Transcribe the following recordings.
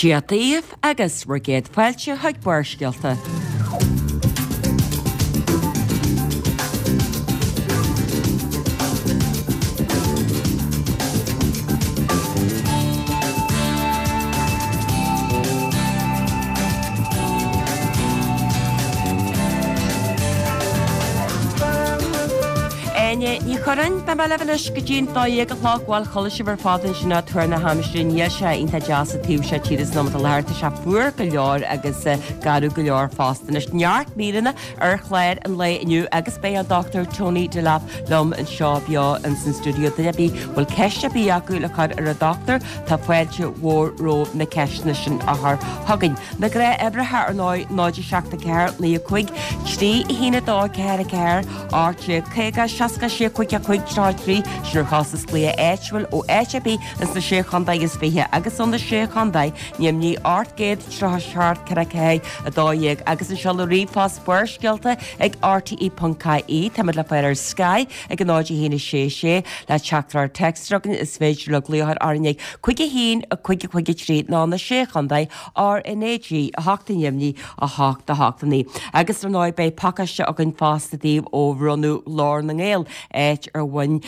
Dia daoibh agus bhur gcéad fáilte chuig Barrscéalta. Áine Ní Churráin, beidh mé libh anois go dtí'n 12 a chlog. Bhuel, chuala sibh ar fad ansin ag tuar na haimsire. Níl sé iontach deas an taobh seo tíre san am atá i láthair. Tá sé fuar go leor agus garbh go leor fosta. Anois, neart míreanna ar chlár an lae inniu agus beidh an Dr Tony Delap liom anseo beo ins an stiúideo. Duine ar bith a bhfuil ceist ar bith acu le cur ar an Dochtúir, tá fáilte mhór romhaibh na ceisteanna sin a chur chugainn. Na gnáthuimhreacha ar ndóigh, 0 7 4 9 5 3 1 2 4 4 18 50 66 55 33, sin ar chostas glaoch áitiúil ó áit ar bith ins na Sé Chontae is 20 agus ó na Sé Chontae, neamhní 837 44 12 agus an seoladh ríomhphost Barrscéalta ag rte.ie. Táimid le fáil ar Sky ag 0 1 6 6 le teachtaireacht téacs chugainn is féidir libh glaoch orainn ag 5 1 5 5 3 nó na Sé Chontae RnaG 8 neamhní 8 8 9. Agus ar ndóigh beidh pacáiste againn fosta daoibh ó bhronnadh Ghlór na nGael, áit ar bhain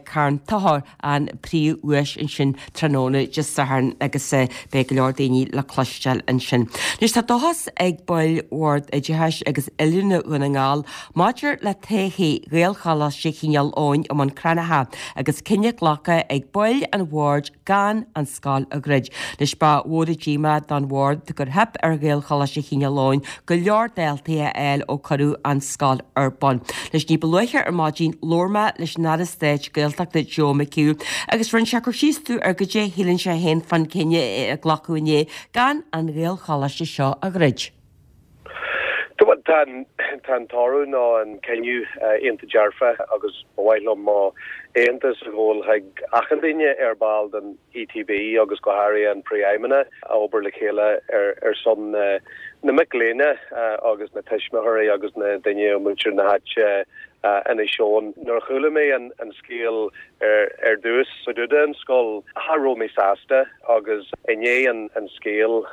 Carn Tochair an príomhdhuais ansin tráthnóna Dé Sathairn agus beidh go leor daoine le cloisteáil ansin. Anois tá dóchas ag baill Bhord Oideachais agus Oiliúna Dhún na nGall maidir le todhchaí Ghaelcholáiste Chineál Eoghain i mBun Cranncha agus cinneadh glactha ag baill an bhoird gan an scoil a dhruid. Anois ba mhór an díomá don bhord gur theip ar Ghaelcholáiste Chineál Eoghain go leor daltaí a fháil ó cuireadh an scoil ar bun. Anois ní ba luaithe ar maidin labhair mé leis an Aire Stáit Gaeltachta Joe McHugh agus rinne sé cur síos domh ar goidé a shíleann sé féin fán cinneadh a glacadh inné gan an Ghaelcholáiste seo a dhruid. Tá an toradh nó an cinneadh iontach dearfa agus ba mhaith liom mo aitheantas a ghabháil chuig achan duine ar ball den ETB agus go háirithe an Príomhfheidhmeannach a obair le chéile ar son na mic léinn agus na tuismitheoirí agus na daoine ó muintir na háite Inis Eoghain. Nuair a chuala mé an scéal ar dtús fá dtaobh den scoil, cha raibh mé sásta agus i ndiaidh an scéal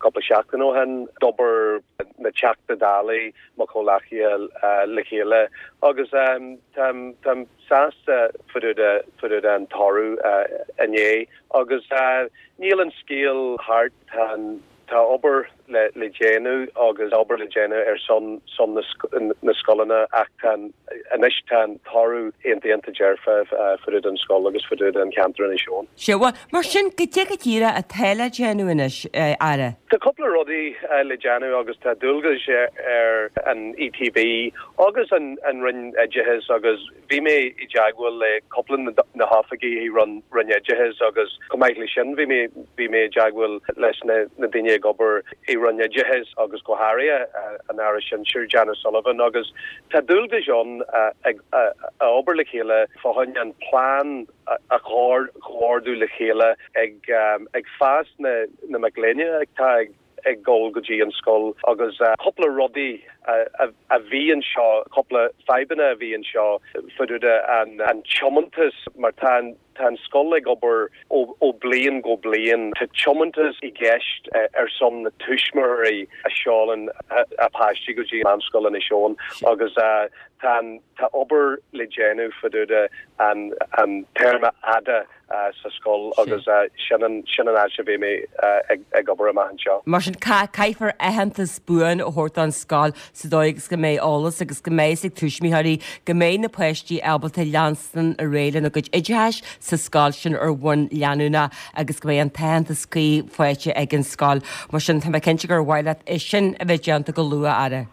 cúpla seachtain ó shin, d'obair na Teachta Dála, mo chomhghleacaithe le chéile agus táim sásta fá dtaobh den toradh inné agus níl an scéal thart, tá an Tá obair le déanamh agus obair le déanamh ar son son na scoileanna ach tá anois tá an toradh iontach iontach dearfa fá dtaobh den scoil agus fá dtaobh den cheantar Inis Eoghain. Sea, bhuel, mar sin, goidé go díreach atá le déanamh anois, a Aire? Tá cúpla rudaí le déanamh agus tá dualgais ar an ETB agus an Roinn Oideachais agus Bhí mé i dteagmháil le cúpla na hoifigigh i Roinn Oideachais agus chomh maith le sin bhí mé bhí mé i dteagmháil leis na na daoine ag obair i Roinn Oideachais agus go háirithe an Aire Sinsir Jan O'Sullivan agus tá dualgais ann ag a obair le chéile fá choinne an plean a chomhordú le chéile ag ag fás na na mic léinn atá ag ag dul go dtí an scoil agus cúpla rudaí a bhí anseo, cúpla fadhbanna a bhí anseo fá dtaobh de an tiomantas mar tá an tá an scoil ag obair ó bliain go bliain. Tá tiomantas i gceist ar son na tuismitheoirí a sheolann a páistí go dtí Meánscoil Inis Eoghain agus tá an tá obair le déanamh fá dtaobh de an an téarma fhada sa scoil agus sin an sin an áit a bheidh mé ag obair amach anseo. Mar sin, caithfear aitheantas buan a thabhairt don scoil sa dóigh agus go mbeidh eolas agus go mbeidh fhios ag tuismitheoirí go mbeidh na páistí ábalta leanstan ar aghaidh lena gcuid oideachais sa scoil sin ar bhonn leanúnach agus go mbeidh an t-aitheantas cuí faighte ag an scoil. Mar sin, tá mé cinnte gur mhaith leat é sin a bheith déanta go luath, a Aire.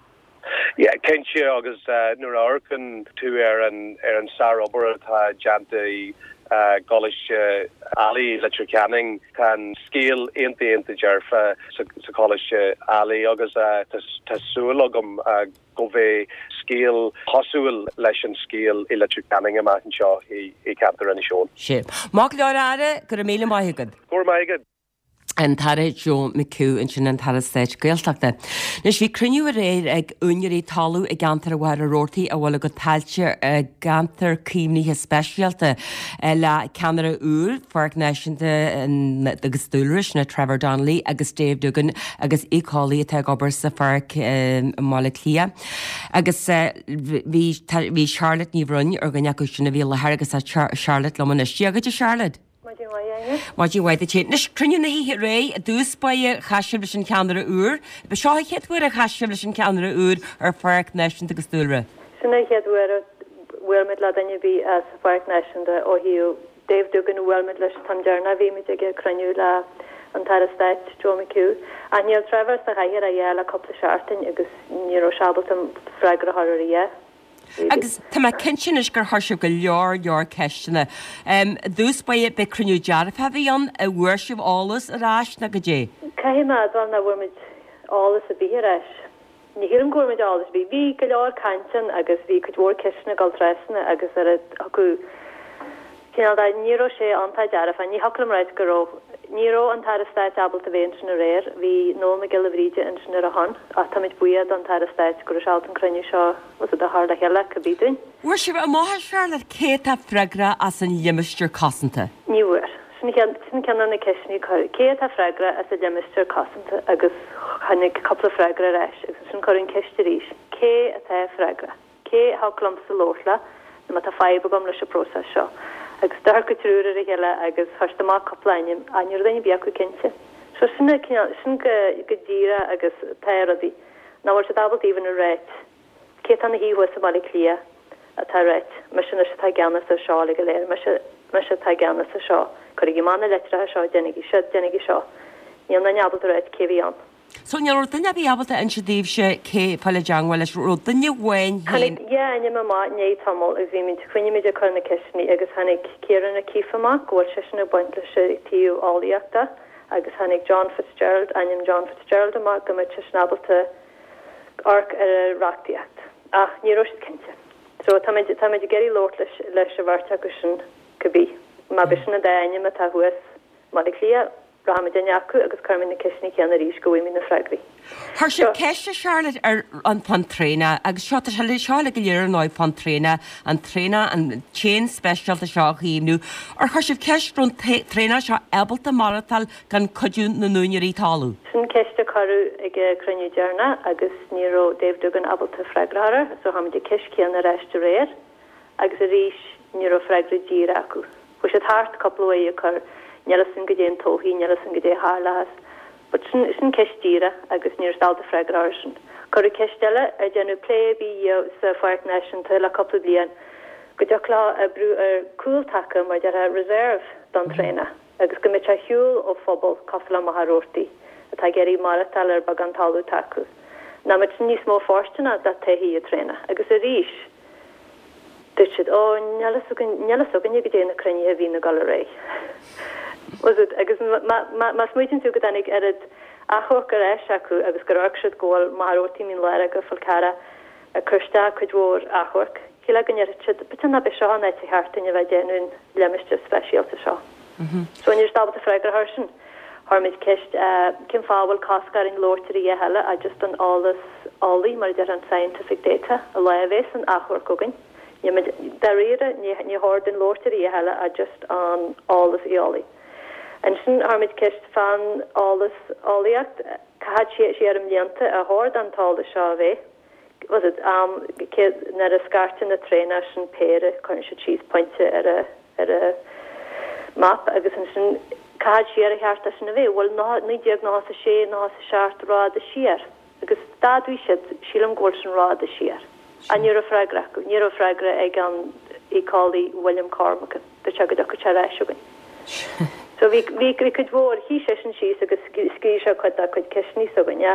Yeah, cinnte, agus nuair a amharcann tú ar an ar an sárobair atá déanta i gColáiste Ailigh i Leitir Ceanainn, tá an scéal iontach iontach dearfa sa Choláiste Ailigh agus tá súil agam go mbeidh scéal cosúil leis an scéal i Leitir Ceanainn amach anseo i gceantar Inis Eoghain. Sea. Maith go leor, a Aire, go raibh míle maith agat. Go raibh maith agat. An tAire Joe McHugh ansin, an tAire Stáit Gaeltachta. Anois bhí cruinniú aréir ag úinéirí talún i gceantar Mhachaire Rabhartaigh a bhfuil a gcuid tailte i gceantar caomhnaithe speisialta le ceannaire úr Pháirc Náisiúnta agus Dúlra, sin é Trevor Donnelly agus Dave Doogan agus éiceolaí atá ag obair sa pháirc i mBaile Átha Cliath. Agus bhí Charlotte Ní Bhroin ar dhuine acu sin a bhí i láthair agus tá Charlotte liom anois. Dia dhuit a Charlotte. Maidin mhaith, Áine. Maidin mhaith duit. Anois, cruinniú na hoíche aréir, i dtús báire, chas sibh leis an cheannaire úr. Ba seo an chéad uair a chas sibh leis an cheannaire úr ar Pháirc Náisiúnta agus Dúlra. Sin an chéad uair a bhuail muid le duine ar bith as an Pháirc Náisiúnta ó thaobh Dave Doogan a bhuail muid leis an t-am deireanach a bhí muid ag cruinniú le an tAire Stáit Joe McHugh. Ach níl Trevor sa chathaoir a dhath le cúpla seachtain agus ní raibh sé ábalta freagra a chur ar a dhath. Agus tá mé cinnte anois gur chuir sibh go leor, leor ceisteanna. I dtús báire, b'é cruinniú dearfach a bhí ann, an bhfuair sibh eolas ar ais nó goidé? Caithfidh mé a admháil nach bhfuair muid eolas ar bith ar ais. Ní shílim go bhfuair muid eolas ar bith. Bhí go leor caint ann agus bhí cuid mhór ceisteanna ag dul trasna agus ar a thiocfadh cineál de, ní raibh sé iontach dearfach. Ní thiocfadh liom ráit go raibh. Ní raibh an tAire Stáit ábalta bheith ansin aréir. Bhí Noel Mac Giolla Bhríde ansin ar a shon ach táimid buíoch don tAire Stáit go raibh sé ábalta an cruinniú seo was it a chur le chéile cibé dúinn. Bhfuair sibh amach a Charlotte cé atá freagrach as an limistéar cosanta? Ní bhfuair. Sin ceann, sin ceann de na ceisteanna a cuireadh. Cé atá freagrach as an limistéar cosanta agus tháinig cúpla freagra ar ais agus ansin cuireadh an ceist arís, cé atá freagrach? Cé a thiocfadh liomsa labhairt le nó má tá fadhb agam leis an bpróiseas seo? Agus d'amharc an triúr ar a chéile agus chuir siad amach cúpla ainm ach ní raibh duine ar bith acu cinnte. So sin an cineál, sin go, go díreach agus atá rudaí. Nach bhfuil siad ábalta even a ráit cé atá ina shuí thuas i mBaile Átha Cliath atá ag ráit, mise anois atá i gceannas ar seo uilig go léir, mise, mise atá i gceannas ar seo, cuirigí amach na litreacha seo, déanaigí siúd, déanaigí seo. Níl duine ábalta a ráit cé a bhí ann. So ní raibh duine ar bith ábalta inse daoibhse cé fáil i dteangmháil leis, raibh duine amháin féin. Tháinig dhá ainm amach i ndiaidh tamaill agus bhí muid, choinnigh muid ag cur na ceisteanna agus tháinig Ciarán O'Keeffe amach, go bhfuil seisean ag baint leis an taobh eolaíochta agus tháinig John Fitzgerald, ainm John Fitzgerald amach go mbeadh seisean ábalta amharc ar an reachtaíocht. Ach ní raibh siad cinnte. So táimid, táimid ag iarraidh labhairt leis, leis an bheirt acu sin cibé. Má b'shin an dá ainm atá thuas i mBaile Átha Cliath, Rachaimid chuig duine acu agus cuirfimid na ceisteanna céanna arís go bhfaighimid na freagraí. Chuir sibh ceist a Charlotte ar an fán traonach agus seo, tá sé seo uilig go léir ar ndóigh fán traonach, an traonach, an t-éan speisialta seo a chaomhnú. Ar chuir sibh ceist raibh an traonach seo ábalta maireachtáil gan cuidiú na n-úinéirí talún? Sin ceist a cuireadh ag an cruinniú deireanach agus ní raibh Dave Doogan ábalta freagra a chur air so chuir muid an ceist céanna ar ais aréir. Agus arís, ní raibh freagra díreach acu. Chuaigh siad thart cúpla uair ag cur, níl fhios againn goidé an todhchaí, níl fhios againn goidé a tharlóchas. But sin, sin ceist díreach agus ní raibh siad ábalta freagra a chur air sin. Cuireadh ceist eile, ar déanadh plé ar bith sa Pháirc Náisiúnta le cúpla bliain go dtiocfadh leo oibriú ar cúltaca, mar a déarfá, reserve don traonach agus go mbeadh sé ar shiúl ó phobal cosúil le Machaire Rabhartaigh atá ag iarraidh maireachtáil ar beagán talamh atá acu. Nach mbeadh sin níos mó fóirsteanach do todhchaí an traonach. Agus arís, Dúirt siad, Ó, níl fhios againn, níl fhios againne goidé na cruinnithe a bhíonn ag dul ar aghaidh. Was it? Agus má smaoitíonn tú go dtáinig oiread achomharc ar ais acu agus gur amharc siad go bhfuil Machaire Rabhartaigh, Mín Lárach agus Fál Carrach ag cur isteach cuid mhór achomharc, shílfeá go ndéarfadh siad, b'fhéidir nach b'é seo an áit a cheart dúinn a bheith ag déanamh an limistéar speisialta seo. So ní raibh siad ábalta freagra a chur air sin. Chuir muid ceist cén fáth a bhfuil cosc orainn labhairt ar a dhath eile ach just an eolas eolaí, mar a déarfá an scientific data, an lá a bheas an achomharc againn. Níl muid, dáiríre, ní ní chóir dúinn labhairt ar a dhath eile ach just an eolas eolaí. Ansin chuir muid ceist fán eolas eolaíocht, cá fhad siar i mblianta ar chóir don t-eolas seo a bheith? Was it am cé nuair a scairteann na traenach sin péire cuireann siad síos pointe ar a ar a map agus ansin cá fhad siar ar cheart dó sin a bheith? Bhfuil 1996, 97 rófhada siar? Agus d'admhaigh siad, sílim go bhfuil sin rófhada siar. Ach ní raibh freagra acu. Ní raibh freagra ag an éiceolaí William Cormican. Dúirt sé go dtiocfadh sé ar ais chugainn. So bhí, bhí, bhí cuid mhór, shuigh seisean síos agus scríobh sé cuid dá cuid ceisteanna s'againne.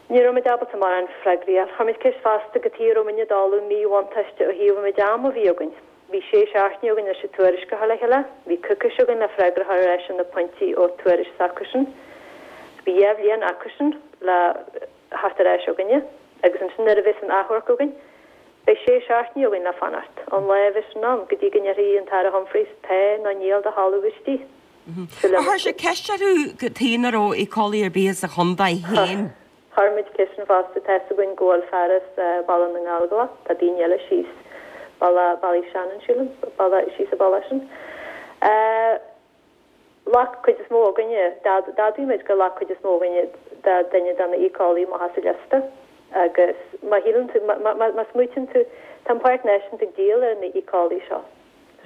Ní raibh muid ábalta mórán freagraí a fháil. Chuir muid ceist fosta cad chuige a raibh muidne ag dul i míbhuntáiste ó thaobh an méid ama a bhí againn. Bhí sé seachtaine againn leis an tuairisc a chur le chéile. Bhí coicís againn le freagra a chur ar ais ar na pointí ó tuairisc s'acusan. Bhí dhá bhliain acusan le theacht ar ais chugainne agus ansin nuair a bheas an achomharc againn, beidh sé seachtainí againn le fanacht ón lá a bheas sin ann go dtí go ndéarfaidh an tAire Humphreys tá nó níl do thalamh istigh. Ar chuir sibh ceist orthu cad chuige nach raibh éiceolaí ar bith sa chontae féin? Chuir muid ceist sin fosta. Tá fhios againn go bhfuil fear as Baile na nGallóglach, tá daoine eile síos Baile Ballyshannon, sílim, baile síos an bealach sin. Ghlac cuid is mó againne, d'admhaigh muid gur ghlac cuid is mó againne de duine de na éiceolaí amach as an liosta agus má shíleann tú, má smaoitíonn tú, tá an Páirc Náisiúnta ag díol ar na éiceolaí seo.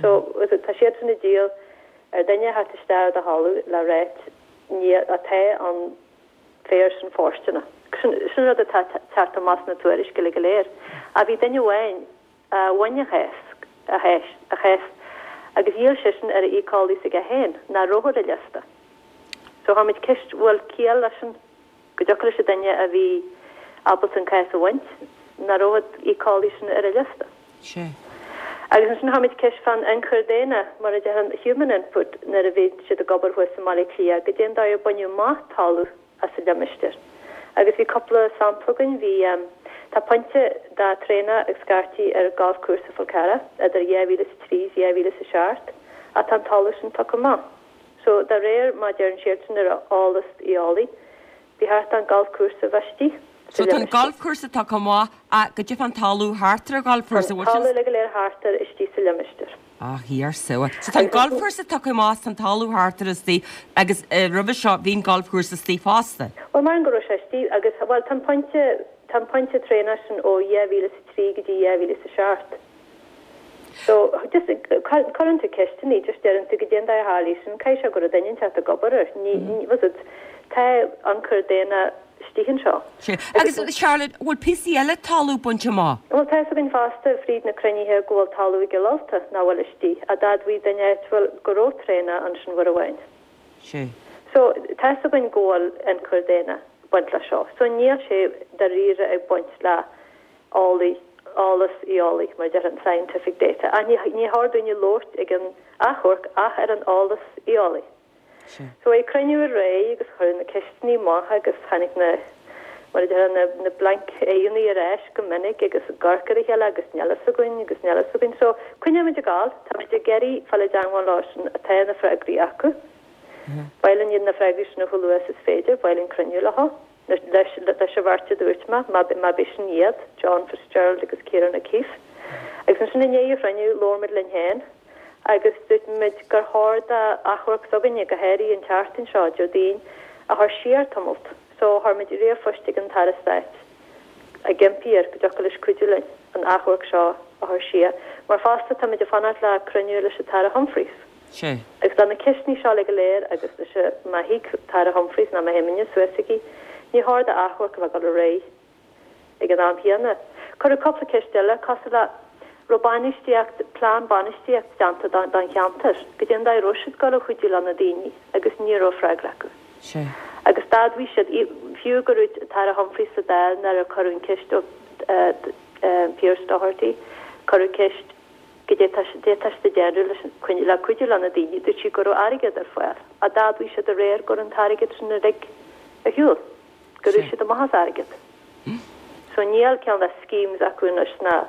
So, tá siadsan ag díol ar duine a theacht isteach ar do thalamh le ráit ní atá an féar sin fóirsteanach. Sin sin rud atá teacht amach sna tuairiscí uilig go léir. Ach bhí duine amháin a bhain a chás, a chás, a chás agus dhíol seisean ar an éiceolaí s'aige féin, nach raibh ar an liosta. So chuir muid ceist bhfuil ciall leis sin, go dtiocfadh leis an duine a bhí ábalta an cás a bhaint, nach raibh an éiceolaí sin ar an liosta. Sea. Agus ansin chuir muid ceist fán ionchur daonna, mar a déarfá an human input, nuair a bhí siad ag obair thuas i mBaile Átha Cliath, goidé an dóigh ar baineadh amach talamh as an limistéar. Agus bhí cúpla sampla againn, bhí, tá pointe de traenach ag scairtigh ar golfchúrsa Fhál Carrach idir 2003 is 2007 ach tá an talamh sin tugtha amach. So, de réir mar a deireann siadsan ar eolas eolaí, Ba cheart don golfchúrsa bheith istigh sa So tá an limistéar. golfchúrsa tugtha amach ach goidé fán talamh thart ar an gholfchúrsa, Tá an talamh uilig go léir thart air istigh sa limistéar. Ah, thiar so. So tá an golfchúrsa tugtha amach is tá an talamh thart air istigh agus roimhe seo bhí an golfchúrsa istigh fosta. Bhuel, maram go raibh sé istigh agus, bhuel, tá an pointe, tá an pointe traenach sin ó 2003 go dtí 2007. So, just, cuireann tú ceisteanna, just deireann tú goidé an dóigh a tharlaigh sin, caithfidh sé go raibh duine inteacht ag obair air, ní, ní, bhfuil fhios agat, tá ionchur daonna istigh anseo. Sea. Agus, Charlotte, bhfuil píosaí eile talamh bainte amach? Bhuel, tá fhios againn fosta, fríd na cruinnithe, go bhfuil talamh i gCill Ulta nach bhfuil istigh, ach d'admhaigh duine áitiúil go raibh traenach ansin uair amháin. Sea. So, tá fhios againn go bhfuil ionchur daonna ag baint leis seo. So, níl sé dáiríre ag baint le eolaí, eolas eolaí, mar a déarfá, an scientific data. Ach ní, ní chóir dúinne labhairt ag an achomharc ach ar an eolas eolaí. So bhí cruinniú aréir agus cuireadh na ceisteanna amach agus tháinig na, mar a déarfá, na, na blank aghaidheanna ar ais go minic agus ag amharc ar a chéile agus níl fhios againn agus níl fhios againn. So coinneoimid ag gabháil, táimid ag iarraidh fáil i dteangmháil leo sin atá na freagraí acu. Ba mhaith linn iad na freagraí sin a chomh luath is is féidir, ba mhaith linn cruinniú leo. Leis an bheirt a dúirt mé, má b'shin iad, John Fitzgerald agus Ciarán O'Keeffe. Agus ansin i ndiaidh an chruinniú, labhair muid linn féin agus dúirt muid gur chóir d'achomharc s'againne, go háirithe an tseachtain seo, Déardaoin, a chur siar tamalt. So, chuir muid ríomhphost ag an tAire Stáit ag impí air go dtiocfadh leis cuidiú linn an achomharc seo a chur siar. Mar fosta, tá muid ag fanacht le cruinniú leis an tAire Humphreys. Sea. Agus tá na ceisteanna seo uilig go léir agus leis an, má thig tAire Humphreys ná má théimidne suas chuige, ní chóir d'achomharc a bheith ag dul ar aghaidh ag an am chéanna. Cuireadh cúpla ceist eile, cosúil le, raibh bainistíocht, plean bainistíocht déanta don, don cheantar, goidé an dóigh a raibh siad ag dul a chuidiú le na daoine agus ní raibh freagra acu. Sea. Agus d'admhaigh siad, fiú go raibh tAire Humphreys sa Dáil nuair a cuireadh an ceist ó Pearse Doherty, cuireadh ceist, Goidé tá siad ag déanamh leis an, le cuidiú le na daoine, dúirt sí go raibh airgead ar fáil, ach d'admhaigh siad aréir go raibh an t-airgead sin uilig ar shiúl, go raibh siad amach as airgead. So níl ceann de schemes acu anois ná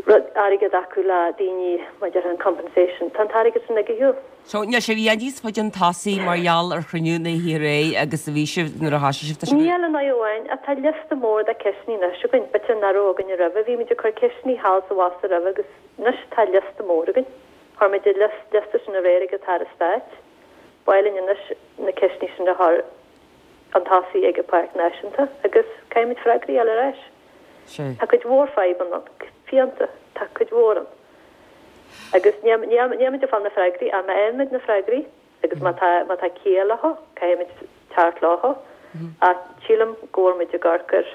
rud, airgead acu le daoine maidir le an compensation. Tá an t-airgead sin uilig ar shiúl. So, níl sibh i bhfad níos faide chun tosaigh mar gheall ar chruinniú na hoíche aréir agus a bhí sibh nuair a thoisigh sibh, tá sibh. Níl i ndóigh amháin, ach tá liosta mór de ceisteanna anois againn, b'fhéidir nach raibh againn roimhe, bhí muid ag cur ceisteanna thall is abhus roimhe agus anois tá liosta mór againn. Chuir muid an liosta sin aréir ag an tAire Stáit. Ba mhaith linn anois na ceisteanna sin a chur chun tosaigh ag an Pháirc Náisiúnta agus caithfimid freagraí a fháil ar ais. Tá cuid mhór fadhbanna ann, fiánta, tá cuid mhór ann. Agus níl muid ag fáil na freagraí, ach má fhaighimid na freagraí agus má tá, má tá ciall leo, caithfimid teacht leo. Ach sílim go bhfuil muid ag amharc ar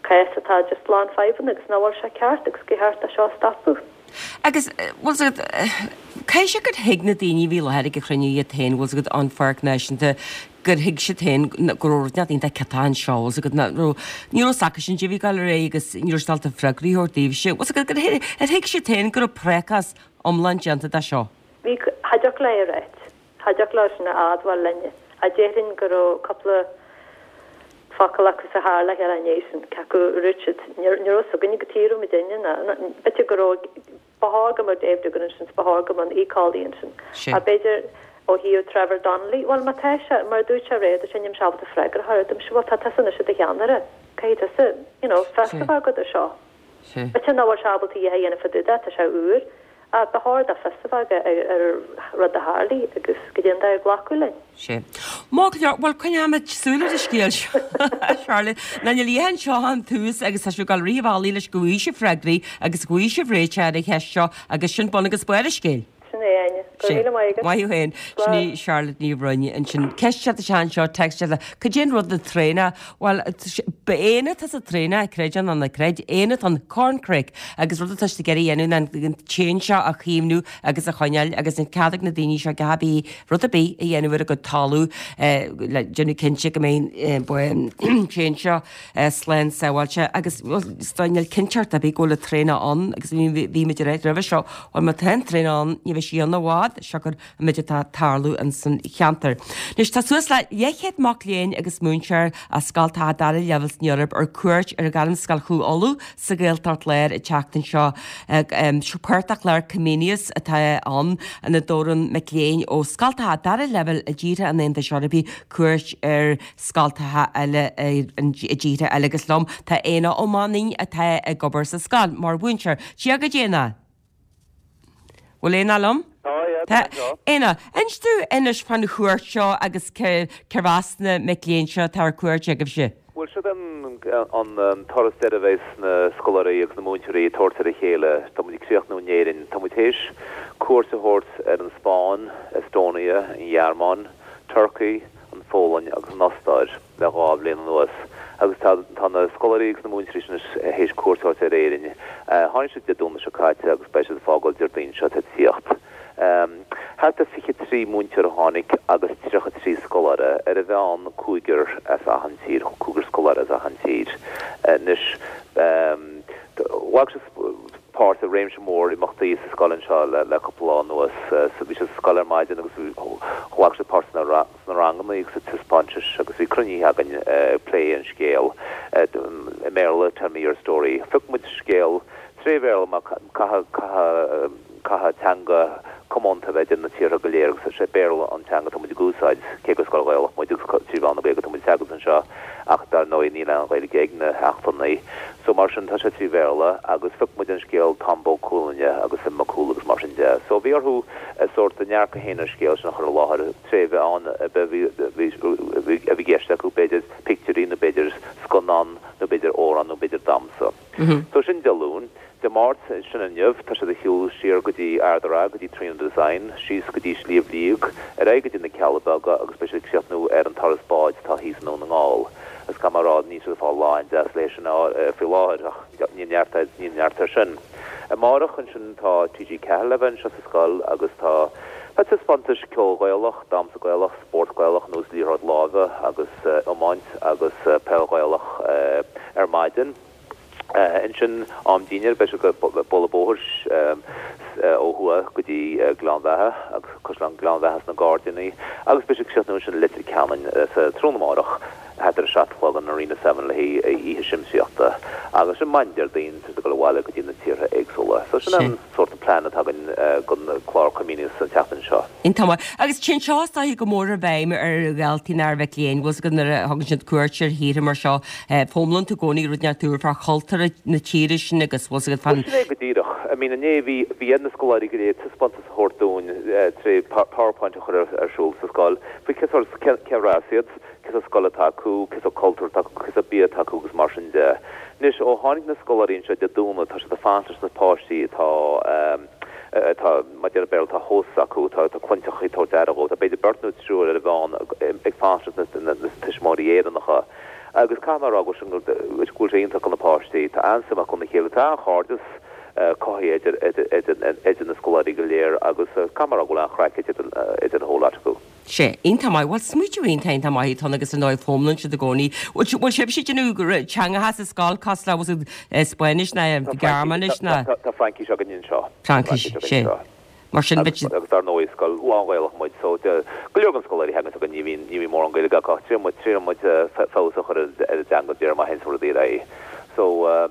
cás atá just lán fadhbanna agus nach bhfuil sé ceart agus gur cheart é seo a stopadh. Agus, bhfuil 's agat, caithfidh sé gur thuig na daoine a bhí i láthair ag an chruinniú iad féin, bhfuil 's agat, an Pháirc Náisiúnta, gur thuig siad féin go raibh rud inteacht iontach ciotach anseo, bhfuil 's agat, nach raibh, ní raibh 's acusan goidé a bhí ag dul ar aghaidh agus ní raibh siad ábalta freagraí a thabhairt daoibhse. Bhfuil 's agat, gur thuig, ar thuig siad féin go raibh prácás iomlán déanta de seo? Bhí, cha dtiocfadh leo a ráit. Cha dtiocfadh leo sin a admháil linne. Ach déarfainn go raibh cúpla focal acu sa charr le chéile i ndiaidh sin, cé acu a raibh siad, ní raibh 's againne cad chuige a raibh muidinne ná, b'fhéidir go raibh. Ba chóir go mbeadh Dave Doogan ansin, 's ba chóir go mbeadh an íocálaí ansin. Ach b'fhéidir ó thaobh Trevor Donnelly, bhuel má tá sé, mar a dúirt sé aréir, dúirt sé níl mise ábalta freagra a thabhairt dúirt mise, bhuel tá tusa anois i do cheannaire, caithfidh tusa, you know, fios a bheith agat ar seo. B'fhéidir nach bhfuil sé ábalta a dhath a dhéanamh fá dtaobh de, tá sé úr. Ach ba chóir dó fios a bheith aige ar ar rud a tharlaigh agus goidé an dóigh ar glacadh linn. Sea. Maith go leor, bhuel coinneoimid súil ar an scéal seo, a Charlotte. Ná níl a dhath anseo ach an tús agus tá sibh ag dul rith an bhealaigh leis go bhfaighidh sibh freagraí agus go bhfaighidh sibh réiteach ar an cheist seo agus sin bun agus barr an scéil. Sin é, Áine. Go raibh míle maith agat. Maith thú féin. Sin í Charlotte Ní Bhroin ansin. Ceist isteach anseo, text eile. Cad é an rud an traonach? Bhuel, ba éan atá sa traonach, creid é nó ná creid, éan atá ann, corncrake, agus rud atá siad ag iarraidh a dhéanamh ná an t-éan seo a chaomhnú agus a choinneáil agus níl cead ag na daoine seo a dhath ar bith, rud ar bith a dhéanamh ar a gcuid talamh le déanamh cinnte go mbeidh an t-éan seo slán sábháilte agus is dóigh níl cinnteacht ar bith go bhfuil an traonach ann agus bhí muid ag ráit roimhe seo, bhuel má tá an traonach ann ní bheidh sí ann i bhfad, siocair an méid atá ag tarlú in san cheantar. Anois tá suas le leathchéad mac léinn agus múinteoir as scoltacha dara leibhéal san Eoraip ar cuairt ar Ghairmscoil Chú Uladh sa Ghaeltacht Láir an tseachtain seo. Páirt de chlár Comenius atá ann ina dtabharann mic léinn ó scoltacha dara leibhéal i dtíortha an Aontais Eorpaigh cuairt ar scoltacha eile i dtíortha eile agus liom tá Éanna Ó Mainnín atá ag obair sa scoil mar mhúinteoir. Dia dhuit Éanna! Bhfuil Éanna liom? Tá, yeah, tá anseo. Éanna, inis dúinn anois fán chuairt seo agus cérbh as na mic léinn seo atá ar cuairt agaibhse. Bhuel, seo an turas deiridh a bheas na scoláirí agus na múinteoirí ag tabhairt ar a chéile. Tá muid ag críochnú in Éirinn. Tá muid théis cuairt a thabhairt ar an Spáinn, Estonia, an Ghearmáin, Turkey, an Pholainn agus an Ostáir le 2 bhliain anuas agus tá tá na scoláirí agus na múinteoirí sin anois théis cuairt a thabhairt ar Éirinn. Tháinig siad Dé Domhnaigh seo caite agus beidh siad ag fágáil Déardaoin seo atá ag tíocht. Thart ar 23 múinteoir a tháinig agus 33 scoláire, ar an mheán cúigear as achan tír, cúigear scoláire as achan tír. Anois ghlac siad páirt i réimse mór imeachtaí sa scoil anseo le cúpla lá anuas. Bhí siad sa scoil ar maidin agus ghlac siad páirt sna ranganna agus sa taispeántais agus bhí cruinnithe againn ag plé an scéal i mBéarla, Tell me your story. Phioc muid scéal tré Bhéarla mar caithfidh caithfidh teanga comónta a bheith idir na tíortha go léir agus is é Béarla an teanga atá muid ag úsáid, cé gur scoil Ghaelach muid agus trí mheán na Gaeilge atá muid ag teagasc anseo ach dar ndóigh níl aon Ghaeilge ag na heachtrannaigh so mar sin tá sé trí Bhéarla agus phioc muid an scéal Tom Bó Cúailnge agus Finn Mac Cumhaill agus mar sin de. So bhí orthu a sórt a ndearcadh féin ar an scéal sin a chur i láthair tré mheán a bhí a bhí i gceist acu, b'fhéidir pictiúirí nó b'fhéidir scannán nó b'fhéidir amhrán nó b'fhéidir damhsa. So sin Dé Luain. Dé Máirt, sin inniu, tá siad ag siúl siar go dtí Ard an Rátha, go dtí Tríona Design, síos go dtí Sliabh Liag, ar aghaidh go dtí na Cealla Beaga agus beidh siad ag críochnú ar an turas báid atá thíos i nDún na nGall. Is caithfidh mé a rá, níl siad ag fáil lá an-deas léi sin faoi láthair ach níl neart, níl neart air sin. Amárach ansin tá TG4 le bheith anseo sa scoil agus tá tá taispeántais ceol Gaelach, damhsa Gaelach, spórt Gaelach ar nós liathróid láimhe agus iomáint agus peil Ghaelach ar maidin. Ansin, am dinnéir, beidh siad ag bualadh bóthair ó thuaidh go dtí Gleann Bheatha agus Caisleán Ghleann Bheatha sna Gairdíní agus beidh siad ag críochnú ansin i Leitir Ceanainn sa tráthnóna amárach thart ar a 7 a chlog in Arena Seven le haghaidh oíche siamsaíochta. Agus ansin maidin Déardaoin tá siad ag dul abhaile go dtí na tíortha éagsúla. So sin an sórt plean atá againn don chlár Comenius an tseachtain seo. Iontach maith. Agus téann seo is dóiche go mór i bhfeidhm ar dhaltaí nó ar mhic léinn, bhfuil 's agat nuair a thugann siad cuairt ar thíortha mar seo, foghlaimíonn tú i gcónaí rud inteacht úr fá chultúr na tíre sin agus bhfuil 's agat fán. Bhuel sin é go díreach. I mean inné bhí bhí ar na scoláirí go léir taispeántas a thabhairt dúinn tré PowerPoint a chur ar siúl sa scoil faoi cé sórt cérbh as iad, cé sórt scoil atá acu, cé sórt cultúr atá acu, cé sórt bia atá acu agus mar sin de. Anois ó tháinig na scoláirí anseo Dé Domhnaigh tá siad ag fanacht leis na páistí atá atá, mar a deir an Béarla, tá hosts acu, tá clannteach ag tabhairt aire dhóibh, tá b'fhéidir beirt nó triúr ar an mheán ag fanacht leis na tuismitheoirí Éireannacha agus caithfidh mé a rá go bhfuil sé iontach do na páistí, tá an-suim acu ina chéile, tá an-chairdeas cothaithe idir na scoláirí go léir agus caithfidh mé a rá go bhfuil an-chraic idir an whole lot acu. Sea, iontach maith. Bhuel, smaoitiú iontach, iontach maith atá ann agus ar ndóigh foghlaimíonn siad i gcónaí. Bhfuil bhfuil sibhse ag déanamh teangacha sa scoil cosúil le bhfuil siad Spáinnis ná Gearmáinis ná. Tá Fraincis againn anseo. Fraincis, sea. Mar sin bheadh siad. Agus dar ndóigh is scoil lán-Ghaelach muid so go leor den scoláirí a thagann chugainn ní bhíonn ní bhíonn mórán Gaeilge acu ach triaileann muid triaileann muid feabhas a chur ar a dteanga de réir mar a théann rudaí ar aghaidh. So.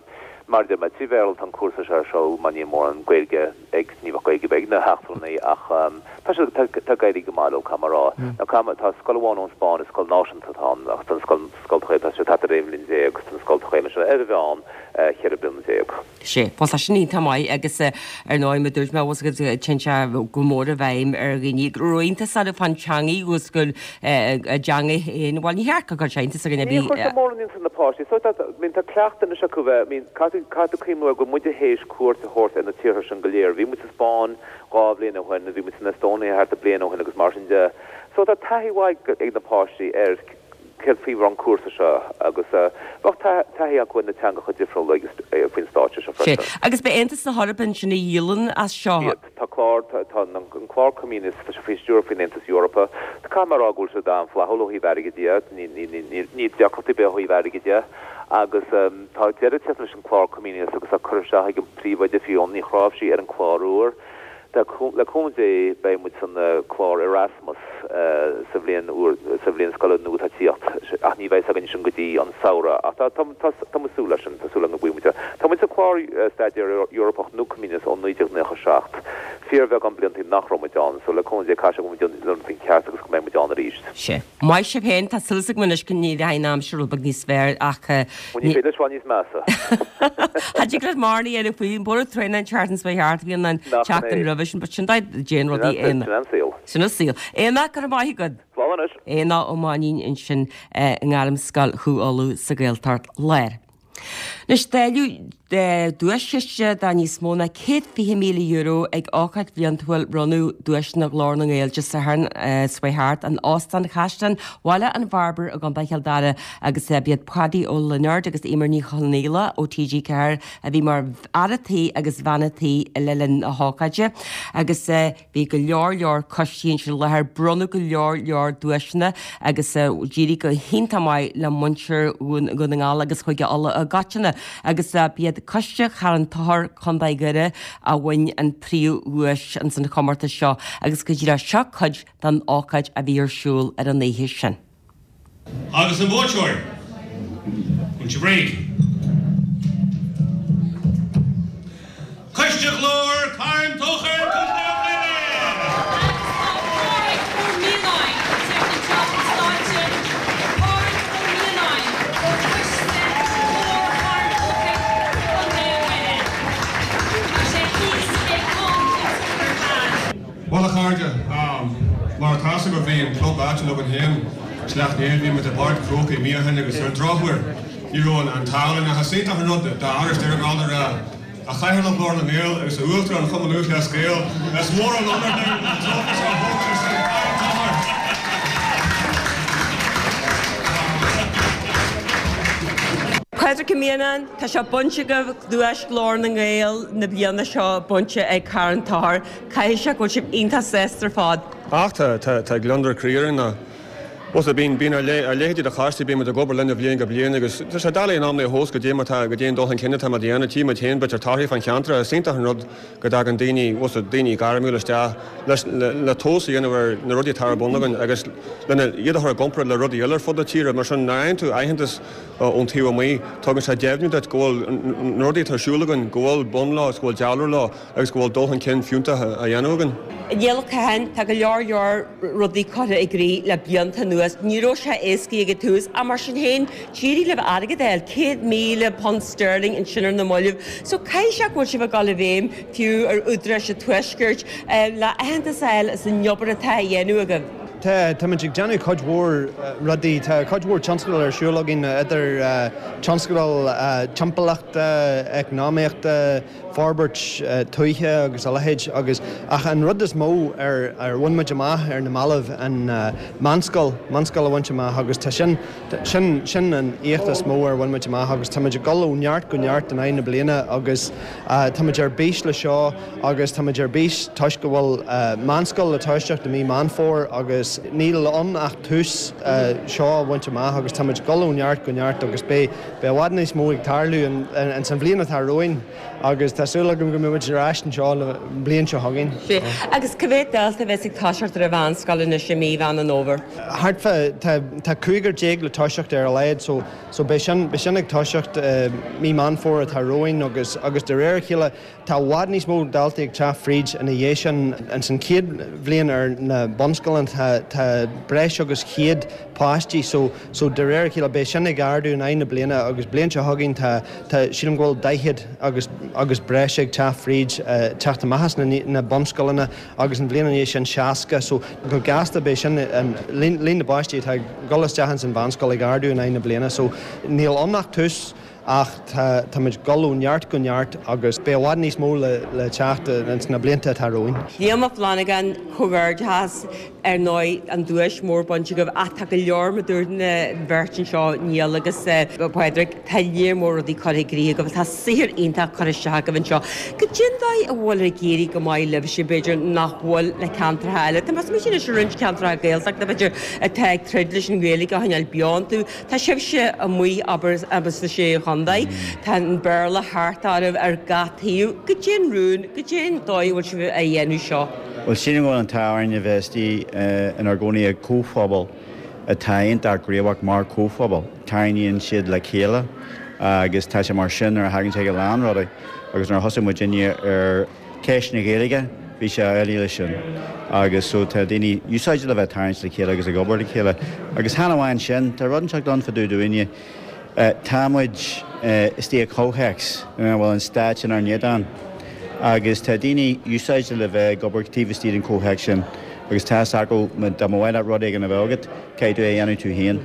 Mar a deir mé, 3 Bhéarla atá an cúrsa seo ar siúl mar níl mórán Gaeilge ag, ní bheadh Gaeilge ar bith ag na heachtrannaigh ach tá siad, tá, tá ag éirí go maith leo, caithfidh mé a rá. Now caithfidh mé, tá scoil amháin ón Spáinn, is scoil náisiúnta atá ann ach tá an scoil, scoil Ghaeilge, tá sé thart ar 11 bhliain agus tá an scoil Ghaeilge anseo ar a mheán 14 bliana. Sea, bhuel tá sin iontach maith agus ar ndóigh mar a dúirt mé, bhfuil a fhios agat, téann sé go mór i bhfeidhm ar dhaoine go raibh iontas orthu fán teangaidh agus go a dteangaidh féin, bhuel ní cheart go gcuirfeadh sé iontas ar dhuine ar Ní bith. chuirfeadh sé mórán iontas ar na páistí. So tá, I mean, tá cleachtadh anois acu bheith, I mean, caithfidh, caithfidh tú cuimhniú ar go bhfuil muide théis cuairt a thabhairt ar na tíortha sin go léir. Bhí muid sa Spáinn 2 bhliain ó shin, bhí muid san Estonia thart ar bliain ó shin agus mar sin de. So tá taithí mhaith ag na páistí ar céard faoi an cúrsa seo agus bheadh taithí acu ar na teangacha difriúla agus faoin stáitse seo freisin. Agus b'é Aontas na hEorpa ansin a dhíolann as seo. Iad. Tá clár, tá an clár Comenius, tá sé faoi stiúir faoin Aontas Eorpach. Caithfidh mé a rá go bhfuil siad an-fhlaithiúil ó thaobh airgid de, níl deacrachtaí ar bith ó thaobh airgid de agus tá deireadh ag teacht leis an clár Comenius agus tá curtha isteach ag an príomhoide Fiona Ní Chráimhsí ar an clár úr. Le cúnamh Dé beidh muid san clár Erasmus sa bhliain úr, sa bhliain scoile nua atá ag tíocht, ach ní bheidh a fhios againn sin go dtí an samhradh. Ach tá, tá, tá muid ag súil leis sin, tá súil againn go bhfaighidh muid é. Tá muid sa chlár Staidéar Eorpach nó Comenius ó 1997. Fíorbheagán bliantaí nach raibh muid ann, so le cúnamh Dé caithfidh sé go bhfuil muid ag déanamh an ceart agus go mbeidh muid ann arís. Sea. Maith sibh féin, tá súil agam anois go n-éireoidh an aimsir rud beag níos fearr ach Bhuel, ní féidir leis bheith níos measa. Cha dtig leat mórán a dhéanamh faoi, an borradh tréan an tseachtain seo thart, bhí an Nach in tseachtain é. roimhe sin, but sin dóigh a dtéann rudaí Sin an saol. Sin an saol. Aonach, go raibh maith agat. Slán anois. Aonach Ó Mainnín ansin i nGairmscoil Chú Uladh sa Ghaeltacht Láir. Anois, dáileadh duaischiste de níos mó ná €120,000 ag ócáid bhliantúil bronnadh duaiseanna Ghlór na nGael Dé Sathairn seo chuaigh thart in Óstán Chaisleán Bhaile an Bhairbre i gContae Chill Dara agus b'iad Paddy Ó Lionáird agus Eimear Ní Chonaola ó TG4 a bhí mar fhear a' tí agus bhean a' tí le linn na hócáide agus Bhí go leor leor coistí ansin i láthair, bronnadh go leor leor duaiseanna agus d'éirigh go hiontach maith le muintir Dhún na nGall agus Chúige Uladh i gcoitinne agus b'iad Coiste Charn Tóchair Contae Dhoire a bhain an príomhdhuais ins an chomórtas seo agus go díreach seo cuid den ócáid a bhí ar siúl ar an oíche sin. Agus an buaiteoir? An bhfuil sibh réidh? Coiste Ghlór Carn Tóchair, Contae Dhoire! Agus tá Pádraig Ó Mianáin ag teacht anseo chun stáitse. Pádraig Ó Mianáin ó Choiste Ghlór Charn Tóchair, Contae Dhoire. Tá sé thíos ag an ar fad. Bhuel a chairde, mar atá fhios agaibh bhí an club áitiúil againn féin, Sleacht Néill, bhí muid i bPáirc an Chrócaigh mí ó shin agus ar an drochuair ní raibh an t-ádh linn ach is iontach an rud d'fhear a ghabháil a rá, a Chathaoirleach Ghlór na nGael agus a Uachtarán Chumann Lúthchleas Gael, is mór an onóir dúinn an trófaí seo a thógáil ar son Charn Tóchair. Pádraig Ó Mianáin, tá sé bainte agaibh, duais Ghlór na nGael na bliana seo bainte ag Carn Tóchair. Caithfidh sé go bhfuil sibh iontach sásta ar fad. Ach tá, tá, tá gliondar croí orainn ná, bhuel, bíonn, bíonn ár ár leithéidí de choistí, bíonn muid ag obair linn ó bhliain go bliain agus tá sé doiligh in amanna a thomhas goidé mar tá, goidé an dul chun cinn atá muid a dhéanamh, tchí muid féin b'fhéidir torthaí fán cheantar ach is iontach an rud go dtagann daoine, bhuel, daoine gairmiúla isteach leis, le, le tomhas a dhéanamh ar na rudaí atá ar bun againn agus lena, iad a chur i gcomparáid le rudaí eile ar fud na tíre. Mar sin, nuair a fhaigheann tú aitheantas ón taobh amuigh, tugann sé deimhniú duit go bhfuil na rudaí atá ar siúl againn, go bhfuil bun leo agus go bhfuil dealramh leo. agus go bhfuil dul chun cinn fiúntach á dhéanamh againn. Niall Ó Catháin, Tá go leor leor rudaí curtha i gcrích le blianta anuas. Ní raibh sé éasca ag an tús ach mar sin féin d'éirigh libh airgead a fháil, £100,000 sterling ansin ar na mallaibh. So caithfidh sé go bhfuil sibh ag dul i bhfeidhm fiú ar údaráis an Tuaiscirt le aitheantas a fháil as an obair atá á dhéanamh agaibh. Tá, táimid ag déanamh cuid mhór rudaí. Tá cuid mhór tionscadal ar siúl againn idir tionscadail timpeallachta, eacnamaíochta, forbairt tuaithe agus a leithéid agus ach an rud is mó ar ar bhain muid amach ar na mallaibh an meánscoil, meánscoil a bhaint amach agus tá sin, sin, sin an éacht is mó ar bhain muid amach agus tá muid ag dul ó neart go neart in aghaidh na bliana agus tá muid ar bís le seo agus tá muid ar bís toisc go bhfuil meánscoil le toiseacht i mí Meán Fómhair agus. agus níl ann ach tús seo a bhaint amach agus táimid ag dul ó neart go neart agus beidh i bhfad níos mó ag tarlú ins an bhliain atá romhainn agus tá súil agam go mbeidh muid ar ais anseo an bhliain seo chugainn. Sea. Agus cá mhéad dalta a bheas ag toiseacht ar an mheánscoil anois i mí Mheán an Fhómhair? Thart fá, tá, tá cúigear déag le toiseacht ar a laghad so, so beidh sin, beidh sin ag toiseacht mí Meán Fómhair atá romhainn agus, agus de réir a chéile Tá i bhfad níos mó daltaí ag teacht fríd ina dhiaidh sin. Ins an chéad bhliain ar na bunscoileanna tá tá breis agus 100 páistí so so de réir a chéile beidh sin ag ardú in aghaidh na bliana agus bliain seo chugainn tá tá sílim go bhfuil 40 agus agus breis ag teacht fríd teacht amach as na na bunscoileanna agus an bhliain ina dhiaidh sin 60 so go gasta beidh sin an líon líon na bpáistí atá ag dul isteach ins an mheánscoil ag ardú in aghaidh na bliana so níl ann ach tús. Ach tá, táimid ag dul ó neart go neart agus beidh i bhfad níos mó le teacht ins na blianta atá romhainn. Liam Ó Flannagáin, Comhghairdeachas, ar ndóigh, an duais mór bainte agaibh ach tá go leor, mar dúirt an bheirt anseo, Niall agus Pádraig, tá léar mór rudaí curtha i gcrích agaibh, tá saothar iontach curtha isteach agaibh anseo. Cad é an dóigh a bhfuil ag éirí go maith libhse, b'fhéidir, nach bhfuil le ceantracha eile? Tá mé ag smaointiú anois ar roinnt ceantracha Gaeltachta, b'fhéidir, atá ag troid leis an Ghaeilge a choinneáil beo iontu. Tá sibhse amuigh, abair, sna Sé Chontae. Tá an Béarla thart oraibh ar gach taobh. Cad é an rún, cad é an dóigh a bhfuil sibh á dhéanamh seo? Bhuel, sílim go bhfuil an t-ádh orainn a bheith istigh inár gcónaí i gcomhphobal atá iontach gníomhach mar chomhphobal. Tarraingíonn siad le chéile agus tá sé mar sin nuair a thagann sé go a lán rudaí agus nuair a thosaigh muidinne ar Ceist na Gaeilge, bhí sé amhlaidh leis sin. Agus so tá daoine úsáideach le bheith tarraingt le chéile agus ag obair le chéile. Agus chan amháin sin, tá rud inteacht ann fá dtaobh dúinne, tá muid istigh i comhthéacs ina bhfuil an stát inár n-éadán. Agus tá daoine úsáideach le bheith ag obair taobh istigh den chomhthéacs sin. Agus tá fhios acu, dá mba mhaith leat rud éigin a bheith agat, caithfidh tú é a dhéanamh tú féin.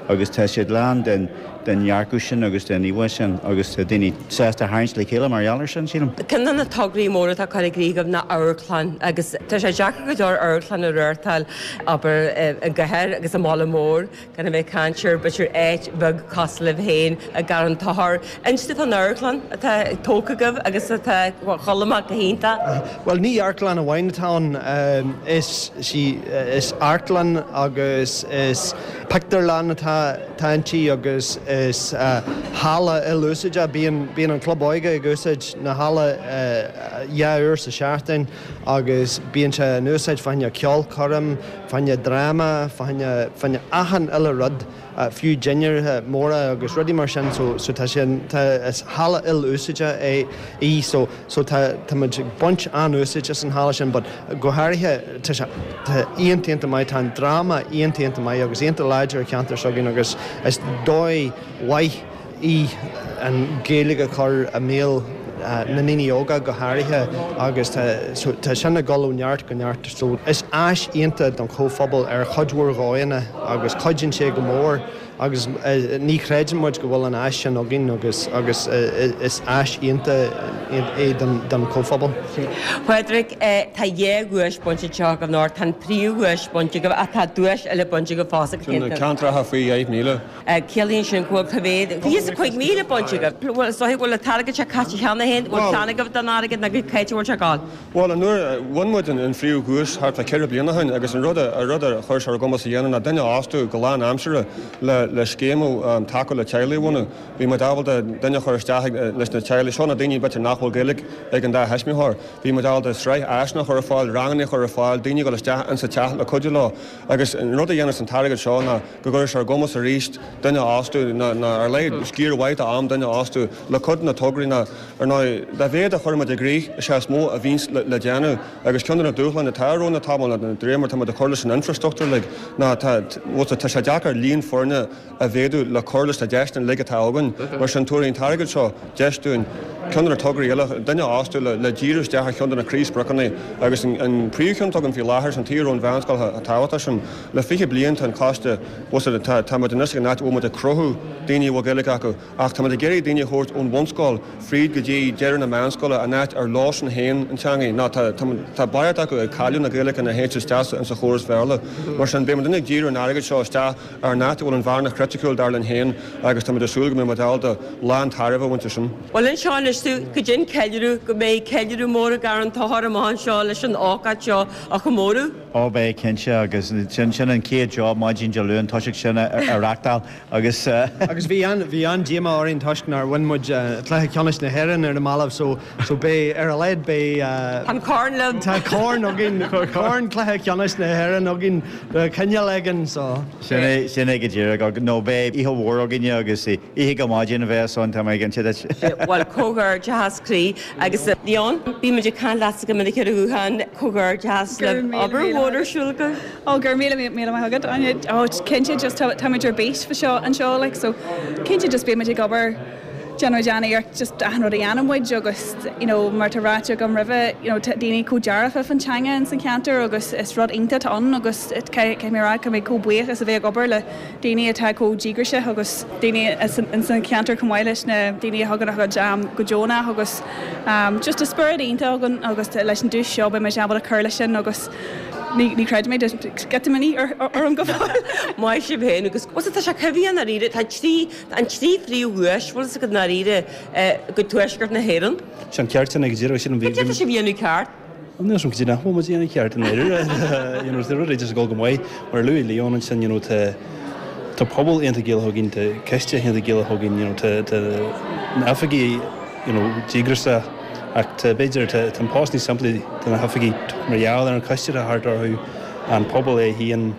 Agus tá siad lán den den dhearcadh sin agus den íomhá sin agus tá daoine sásta tharraingt le chéile mar gheall air sin, sílim. Ceann de na tograí móra atá curtha i gcrích agaibh ná amharclann agus tá sé deacair go leor amharclann a reáchtáil, abair, i gcathair agus i mbaile mór, gan a bheith ag caint ar, b'fhéidir, áit bheag cosúil libh féin i gCarn Tóchair. Inis dúinn fán amharclann atá tógtha agaibh agus atá ag dul amach go hiontach. Bhuel, ní amharclann amháin atá ann, is, sí, is amharclann agus is pictiúrlann atá atá inti agus is halla il-úsáide. Bíonn, bíonn an Club Óige ag úsáid na halla dhá uair sa seachtain agus bíonn sé in úsáid fá choinne ceolchoirm, fá choinne dráma, fá choinne, fá choinne achan uile rud, fiú dinnéir móra agus rudaí mar sin so, so tá sé, tá, is halla il-úsáide é, í so, so tá, tá muid ag baint an-úsáid as an halla sin but go háirithe tá sé, tá iontach iontach maith, tá an dráma iontach iontach maith agus iontach láidir i cheantar s'againn agus is dóigh mhaith í an Ghaeilge a chur i mbéal na ndaoine óga go háirithe agus tá, so tá sin ag dul ó neart go neart so is áis iontach don chomhphobal ar chuid mhór dhóigheanna agus cuidíonn sé go mór Agus ní chreideann muid go bhfuil an áis sin againn agus agus is áis iontach é don chomhphobal. Pádraig, Tá dhá dhuais bainte anseo agaibh anocht. Tá an príomhdhuais bainte agaibh ach tá duais eile bainte agaibh fosta. Sin na ceantracha faoi 10,000. Ciallaíonn sin go bhfuil cá mhéad? 25,000 bainte agaibh. Bhuel, is dóigh go bhfuil an t-airgead seo caite cheana féin. Bhfuil plean agaibh don airgead nó cá háit a bhfuil sé ag gabháil? Bhuel, an uair a bhain muid an phríomh-dhuais thart fá cheithre bliana ó shin agus an rud a rud a chuir sé ar ár gcumas a dhéanamh ná duine a fhostú go lán-aimseartha le le scéim tacú le teaghlaigh a bhunú. Bhí muid ábalta duine a chur isteach leis na teaghlaigh seo, na daoine b'fhéidir nach bhfuil Gaeilge ag an dá thuismitheoir. Bhí muid ábalta sraith áiseanna a chur ar fáil, ranganna a chur ar fáil, daoine a dhul isteach insa teach le cuidiú leo. Agus an rud a dhéanas an t-airgead seo ná go gcuirfidh sé ar ár gcumas arís duine a fhostú ná ar a laghad sciar mhaith d'am duine a fhostú le cuid de na tograí ná Ar ndóigh, dá mhéad a chuireann muid i gcrích, is ea is mó a bhíonns le déanamh, agus ceann de na dúshláin atá romhainn le tamall, ná de réir mar atá muid ag cur leis an infreastruchtúr uilig, ná tá, bhuel, tá sé deacair líon foirne a mhéadú le cur leis na deiseanna uilig atá againn. Mar sin, tabharfaidh an t-airgead seo deis dúinn ceann de na tograí eile, duine a fhostú le díriú isteach ar cheann de na croíspriocanna, agus an príomhcheann atá againn faoi láthair, sin taobh an mheánscoil chomh tábhachtach sin. Le 20 bliain tá an coiste, bhuel, tá, tá muid anois ag an áit a bhfuil muid ag cruthú daoine a bhfuil Gaeilge acu, Ach tá muid ag iarraidh daoine a thabhairt ón bhunscoil fríd go dtí deireadh na meánscoile, an áit ar leosan féin an teangaidh, ná tá tá barraíocht acu ag cailleadh na Gaeilge nuair a théann siad isteach insa chóras Bhéarla. Mar sin, beidh muid ag díriú an airgid seo isteach ar an áit a bhfuil an bhearna chriticiúil dar linn féin agus tá muid ag súil go mbeidh muid ábalta lán tairbhe a bhaint as sin. Bhuel anseo anois tú, cad é an ceiliúradh, go mbeidh ceiliúradh mór i gCarn Tóchair amach anseo leis an ócáid seo a chomóradh. Ó beidh, cinnte, agus sin sin an chéad job maidin Dé Luain, toiseacht sin a reachtáil agus. Agus bhí an, bhí an-díomá orainn toisc nár bhain muid cluiche ceannais na hÉireann ar na mallaibh so, so beidh, ar a laghad beidh. Tá an corn libh. Tá corn againn, corn cluiche ceannais na hÉireann againn de chineál éigin so. Sin é, sin é go díreach, nó beidh oíche mhór againne agus oíche go maidin a bheas ann, tá mé cinnte duit. Bhuel, comhghairdeachas croí. Agus Leon, bíonn muid ag caint leatsa go minic ar an ghuthán, comhghairdeachas libh, obair mhór ar siúl agaibh. Ó, go raibh míle míle maith agat, Áine. Ó, cinnte, just tá táimid ar bís fá seo anseo, like, so cinnte just bíonn muid ag obair, déanann muid an-iarracht just achan rud a dhéanann muid agus, you know, mar tá ráite agam roimhe, you know, tá daoine chomh dearfa fán teanga ins an cheantar agus is rud iontach atá ann agus caithfidh mé a rá, tá mé chomh buíoch as a bheith ag obair le daoine atá chomh díograiseach agus daoine ins an cheantar chomh maith leis na daoine a thugann a chuid am go deonach agus just tá spiorad iontach againn agus leis an duais seo beidh muid ábalta cur leis sin agus ní ní chreidim é just imní orm go fóill. Maith sibh féin agus bhuel tá sé cuimhneach i ndáiríre tá trí an trí phríomhdhuais bhfuil fhios agat i ndáiríre go tuaisceart na hÉireann. Sé an ceart sin ag deireadh sin an Cad é tá sibh a dhéanamh ceart? Níl 's agam cad é nach bhfuil muid a dhéanamh ceart i ndáiríre. You know, tá rudaí just ag dul go maith. Mar a luaigh Leon ansin, you know, tá tá pobal iontach Gaelach againn, tá coiste iontach Gaelach againn, you know, tá tá na hoifigigh, you know, díograiseach ach tá b'fhéidir tá tá an post níos simplí do na hoifigigh mar gheall ar an choiste atá thart orthu, an pobal é féin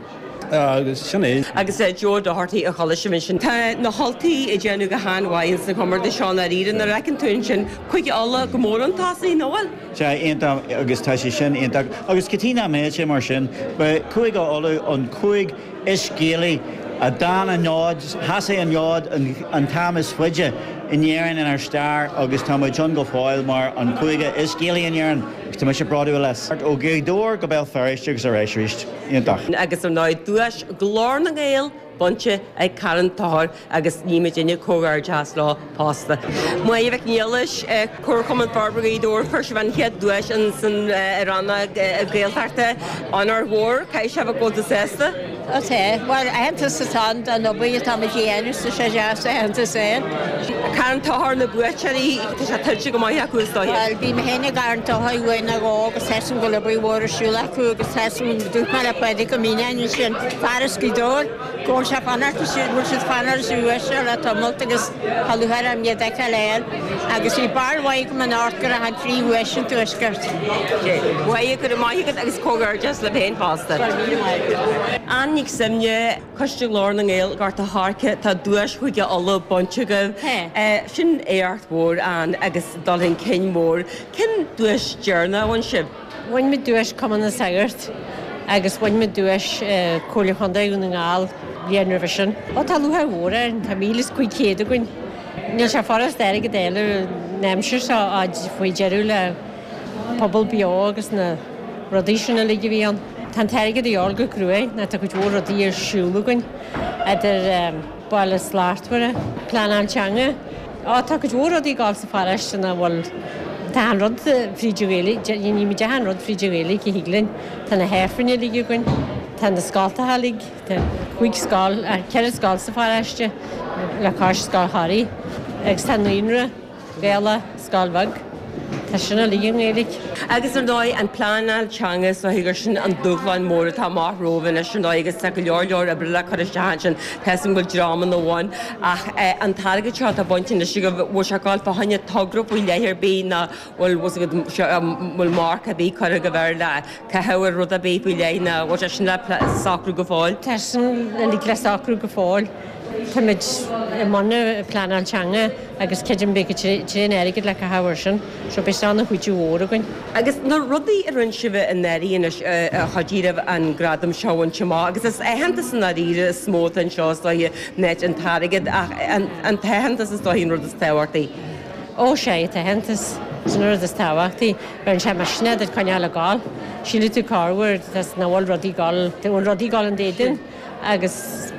agus sin é. Agus Joe Doherty a chuala sibh ansin. Tá na hUltaigh ag déanamh go han-mhaith ins na comórtais seo i ndáiríre. Nuair a fheiceann tú ansin Cúige Uladh go mór chun tosaigh, nach bhfuil? Sea, iontach, agus tá sé sin iontach. Agus cad chuige nach mbeadh sé mar sin? Ba Cúige Uladh an cúige is Gaelaí a d'fhan an fhód, sheasaigh an fhód an t-am is faide in Éirinn inár stair agus tá muid ann go fóill mar an cúige is Gaelaí in Éirinn agus tá mise bródúil as. Ó Ghaoth Dobhair go Béal Feirste agus ar ais arís. Iontach. Agus ar ndóigh, duais Ghlór na nGael bainte ag Carn Tóchair agus ní muidinne comhghairdeachas leo fosta. Máire Mhic Niallais, Comharchumann Forbartha Ghaoth Dobhair, fuair sibh an chéad duais in sa rannóg Gaeltachta. Onóir mhór, caithfidh sé a bheith go bhfuil tú sásta? Ó tá, bhuel aitheantas atá ann don obair atá muid a dhéanamh so tá sé deas aitheantas a fháil. Carn Tóchair na buaiteoirí, tá sé tuillte go maith acu is dóiche. Bhuel bhí mé féin i gCarn Tóchair uair nó dhó agus tá 'fhios a'm go bhfuil obair mhór ar siúl acu agus tá 'fhios a'm dúirt mé le Pádraig Ó Mianáin ansin, fear as Gaoth Dobhair, Go bhfuil sé fanacht, go bhfuil siad fanacht sa uaisle le tamalt agus tá lúcháir orm iad a fheiceáil air agus bhí barúil mhaith agam anocht go raibh an phríomhdhuais an Tuaiscirt. Mhaith, go raibh maith agat agus comhghairdeas libh féin fosta. Go raibh míle maith agat. Ann Nic Suibhne, Coiste Ghlór na nGael, Gort a' Choirce, tá duais Chúige Uladh bainte agaibh. Sin éacht mhór, Ann, agus dul chun cinn mór. Cén duais deireanach a bhain sibh? Bhain muid duais Cumann na Sagart agus bhain muid duais Comhairle Chontae Dhún na nGall bliain roimhe sin. Ó tá lúcháir mhór orainn, tá 1,500 againn. Níl sé furast airgead a fháil an aimsir seo ó faoi deireadh le Pobal Beo agus na rudaí sin uilig a bhí ann. Tá an t-airgead a dhíobháil go cruaidh nó tá cuid mhór rudaí ar siúl againn idir Baile Slachtmhara, pleanáil teanga. Á, tá cuid mhór rudaí ag gabháil sa pharóiste nach bhfuil, tá achan rud fríd an Ghaeilge, déanaimid achan rud fríd an Ghaeilge a thig linn. Tá na hAifrinn uilig againn, tá na scoltacha uilig, tá cúig scoil, ceithre scoil sa pharóiste le cois Scoil Thoraí agus tá naíonra. Gaelach, scoil bheag. Tá sin uilig i nGaeilge. Agus ar ndóigh, an pleanáil teanga is dóigh gur sin an dúshlán mór atá amach romhaibh anois ar ndóigh agus tá go leor leor oibre le cur isteach ansin. Tá 'fhios agam go bhfuil dreamanna ann ach an t-airgead seo atá bainte anois agaibh, bhfuil sé ag dul fá choinne togra faoi leith ar bith nó bhfuil bhfuil marc ar bith curtha agaibh air le caitheamh ar rud ar bith faoi leith nó bhfuil sé sin le socrú go fóill? Tá sin uilig le socrú go fóill. Táimid i mbun pleanáil teanga agus creidim beidh tréan airgid le caitheamh air sin, so beidh sé ina chuidiú mhór againn. Agus na rudaí a rinne sibh i ndáiríre anois a chuidigh libh an gradam seo a bhaint amach, agus is aitheantas i ndáiríre is mó atá anseo is dóiche ná an t-airgead ach an t-aitheantas is dóiche an rud is tábhachtaí. Ó sea, an t-aitheantas, sin an rud is tábhachtaí. Bheireann sé misneach duit coinneáil ag gabháil. Sílfidh tú corruair nach bhfuil rudaí ag gabháil, bhfuil rudaí ag gabháil in éadan. Agus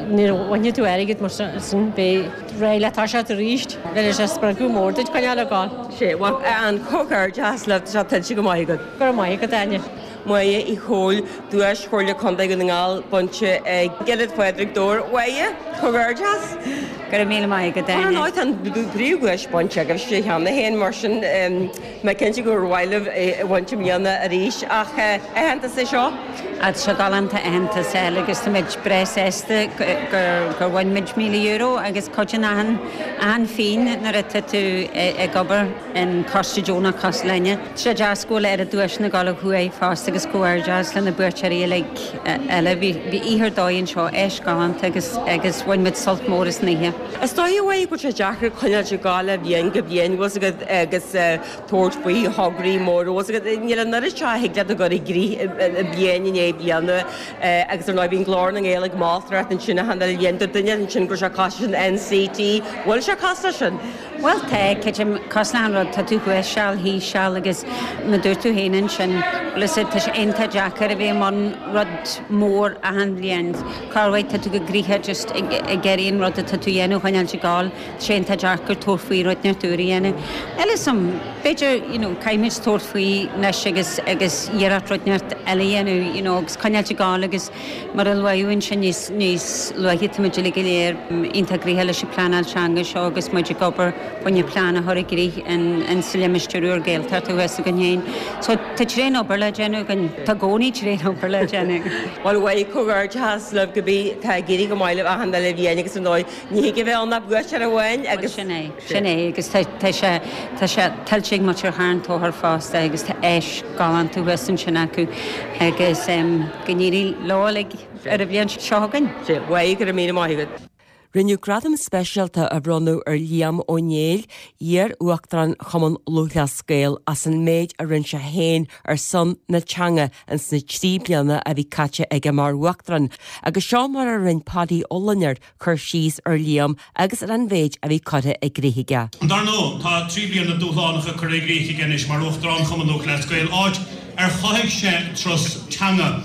nuair a bhainfidh tú airgead mar sin, beidh réidh le toiseacht arís. Bheir sé spreagadh mór duit coinneáil ag gabháil. Sea, bhuel, an comhghairdeas libh, tá sé tuillte go maith agat. Go raibh maith agat, Áine. Máire Uí Chomhaill, Duais Chomhairle Contae Dhún na nGall bainte ag Ionad Phádraig Dobhair. Máire, comhghairdeas! Go raibh míle maith agat, Ar Áine. ndóigh, tá an príomhdhuais bainte agaibhse cheana féin, mar sin tá mé cinnte gur mhaith libh é a bhaint i mbliana arís. Ach aitheantas é seo? Tá sé galánta aitheantas a fháil agus táimid breá sásta gur bhain muid €1,000 agus cuidíonn achan achan phingin nuair atá tú ag obair in coiste deonach cosúil linne. Tá sé deas go bhfuil oiread duaiseanna ag dul ó thuaidh fosta agus comhghairdeas le na buaiteoirí uilig eile. Bhí oíche ar dóigh anseo, áis galánta agus agus bhain muid sult mór as an oíche. Is dóigh a Mháire go bhfuil sé deacair coinneáil ag gabháil ó bhliain go bliain, bhfuil 's agat agus tabhairt faoi thograí móra, bhfuil 's agat, níl an oiread seo a thig leat a chur i gcrích bliain i ndiaidh bliana agus ar ndóigh bíonn Glór na nGael ag moltóireacht ansin achan uile bhliain, dúirt duine ansin go raibh sé cosúil leis an NCT, bhfuil sé cosúil leis sin? Bhuel tá, creidim, cosúil le achan rud, tá tú thuas seal, thíos seal agus mar dúirt tú féin ansin, bhfuil 'fhios a'd, tá sé iontach deacair a bheith i mbun rud mór achan bhliain, corruair tá tú go gnoitheach just ag iarraidh an rud atá tú a dhéanamh a choinneáilt ag gabháil. Sé iontach deacair tabhairt faoi rud inteacht úr a dhéanamh. Níl 'fhios a'm, b'fhéidir, you know, caithfimid tabhairt faoi anois agus, agus iarracht rud inteacht eile a dhéanamh, you know, agus coinneáilt ag gabháil agus mar a luadh ansin níos, níos luaithe, táimid uilig go léir iontach gnoitheach leis an pleanáil teanga seo agus muid ag obair fá choinne plean a chur i gcrích in, in sa limistéar úr Gaeltachta thuas againn féin. So tá tréan obair le déanamh againn, tá i gcónaí tréan obair le déanamh. Bhuel, a Mháire, comhghairdeachas libh go bí, tá ag éirí go maith libh achan uile bhliain agus ar ndóigh, Ní thig a bheith ann ach buaiteoir amháin agus. Sin é, sin é agus tá, tá sé, tá sé tuillte ag muintir Charn Tóchair fosta agus tá áis galánta thuas ansin acu agus go n-éirí leo uilig ar an bhliain seo chugainn. Sea, a Mháire, go raibh míle maith agat. Rinneadh gradam speisialta a bhronnadh ar Liam Ó Néill, iar-Uachtarán Chumann Lúthchleas Gael, as an méid a rinne sé féin ar son na teanga ins na 3 bliana a bhí caite aige mar Uachtarán, agus seo mar a rinne Paudie Ó Loinsigh cur síos ar Liam agus ar an mhéid a bhí curtha i gcrích aige. Dar ndóigh, tá 3 bliana dúshlánacha curtha i gcrích aige anois mar Uachtarán Chumann Lúthchleas Gael, áit ar chothaigh sé turas teanga,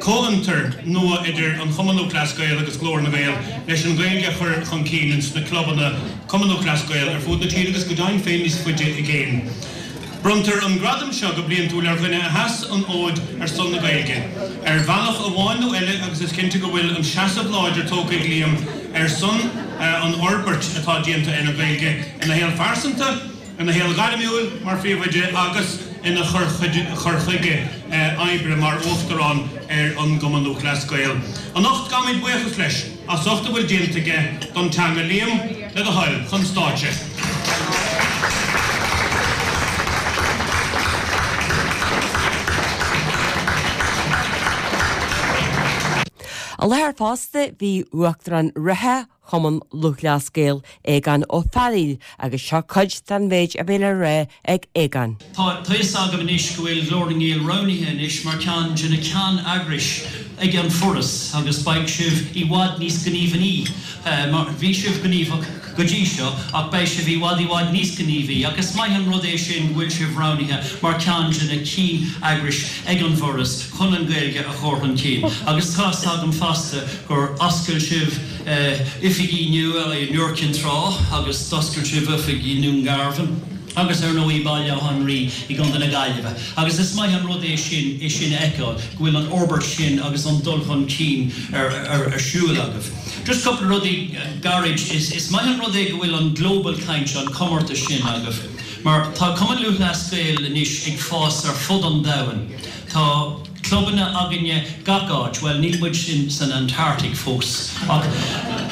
comhfhiontar nua idir an Chumann Lúthchleas Gael agus Glór na nGael leis an Ghaeilge a chur chun cinn ins na clubanna Cumann Lúthchleas Gael ar fud na tíre agus go deimhin féin níos faide i gcéin. Bronntar an gradam seo go bliantúil ar dhuine a sheas an fhóid ar son na Gaeilge, ar bhealach amháin nó eile agus is cinnte go bhfuil an seasamh láidir tógtha ag Liam ar son an fhorbairt atá déanta ar an Ghaeilge ina shaol phearsanta, ina shaol gairmiúil mar phríomhoide agus ina chur chuige oibre mar Uachtarán ar an gCumann Lúthchleas Gael. Anocht gabhaimid buíochas leis as ucht a bhfuil déanta aige don teanga. Liam, le do thoil, chun stáitse. I láthair fosta bhí Uachtarán reatha Chumann Lúthchleas Gael, Aogán Ó Fearghaíl, agus seo cuid den mhéid a bhí le rá ag Aogán. Tá fhios agam anois go bhfuil Glór na nGael roghnaithe anois mar ceann de na ceanneagrais ag an Foras agus beidh sibh i bhfad níos gníomhaí mar bhí sibh gníomhach go dtí seo ach beidh sibh i bhfad i bhfad níos gníomhaí ach is maith an rud é sin go bhfuil sibh roghnaithe mar ceann de na cinn eagrais ag an bhForas chun an Ghaeilge a chur chun cinn agus tá fhios agam fosta gur oscail sibh oifigí nua i nIúr Cinn Trá agus d'oscail sibh oifig i nDún Garbhán agus ar ndóigh i Baile Átha an Rí i gContae na Gaillimhe agus is maith an rud é sin é sin a fheiceáil go bhfuil an fhorbairt sin agus an dul chun cinn ar ar siúl agaibh. Just cúpla rudaí gairid, is is maith an rud é go bhfuil an Global Caint, an comórtas sin agaibh mar tá Cumann Lúthchleas Gael anois ag fás ar fud an domhain. Tá clubanna againne gach áit, bhuel níl muid san Antarctic fós ach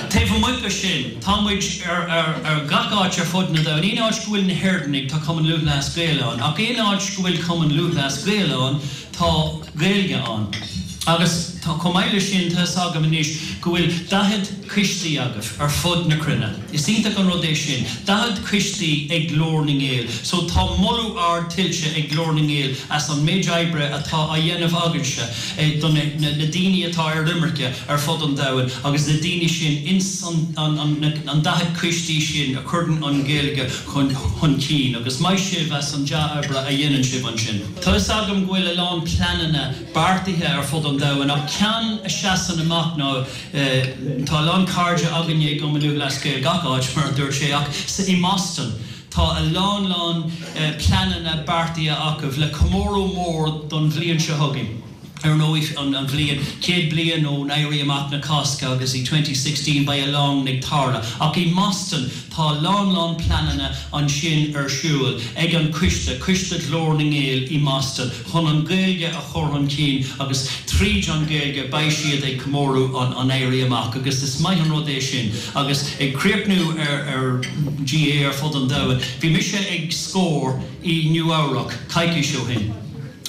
taobh amuigh de sin tá muid ar ar gach áit ar fud na domhain. Aon áit go bhfuil na hÉireannaigh tá Cumann Lúthchleas Gael ann ach aon áit go bhfuil Cumann Lúthchleas Gael ann tá Gaeilge ann. Agus chomh maith leis sin tá 'fhios agam anois go bhfuil 40 coistí agaibh ar fud na cruinne. Is iontach an rud é sin, 40 coistí ag Glór na nGael. So tá moladh ard tuillte ag Glór na nGael as an méid oibre atá á dhéanamh agaibhse do na daoine atá ar imirce ar fud an domhain agus na daoine sin ins an 40 coistí sin a chuireann an Ghaeilge chun cinn agus maith sibh as an dea-oibre a dhéanann sibh ansin. Tá 'fhios agam go bhfuil a lán pleananna beartaithe ar fud an domhain ach ceann a seasann amach ná Tá a lán cairde againne i gCumann Lúthchleas Gael gach áit, mar a dúirt sé, ach i mBoston tá. Tá a lán lán pleananna beartaithe acu le comóradh mór don bhliain seo chugainn. Ar ndóigh, an bhliain, 100 bliain ón Éirí Amach na Cásca agus i 2016 beidh a lán ag tarlú. Ach i mBoston tá a lán lán pleananna ansin ar siúl ag an coiste, Coiste Ghlór na nGael i mBoston, chun an Ghaeilge a chur chun cinn agus tríd an Ghaeilge beidh siad ag comóradh an an Éirí Amach agus is maith an rud é sin. Agus ag críochnú ar ar GAA ar fud an domhain, bhí mise ag Scór i Nua Eabhrac coicís ó shin.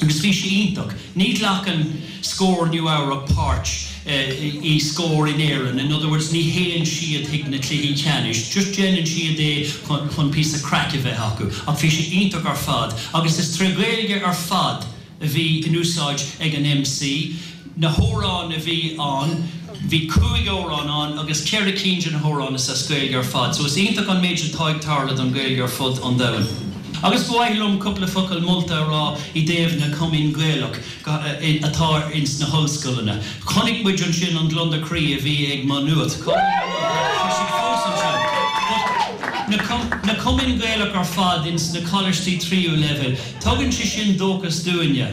Agus bhí sé iontach. Ní ghlacann Scór Nua Eabhrac páirt i Scór in Éirinn, in other words ní théann siad chuig na cluichí ceannais, just déanann siad é chun píosa craic a bheith acu. Ach bhí sé iontach ar fad. Agus is tré Ghaeilge ar fad a bhí in úsáid ag an MC. Na hamhráin a bhí ann, bhí 5 amhrán ann agus 4 cinn de na hamhráin is as Gaeilge ar fad. So is iontach an méid atá ag tarlú don Ghaeilge ar fud an domhain. Agus ba mhaith liom cúpla focal molta a rá i dtaobh na cumainn Gaelach atá ins na hollscoileanna. Chonaic muid ansin an gliondar croí a bhí ag Maigh Nuad. Tá siad fós ansin. But na cumainn Gaelach ar fad ins na coláistí tríú leibhéal, tugann sé sin dóchas dúinne.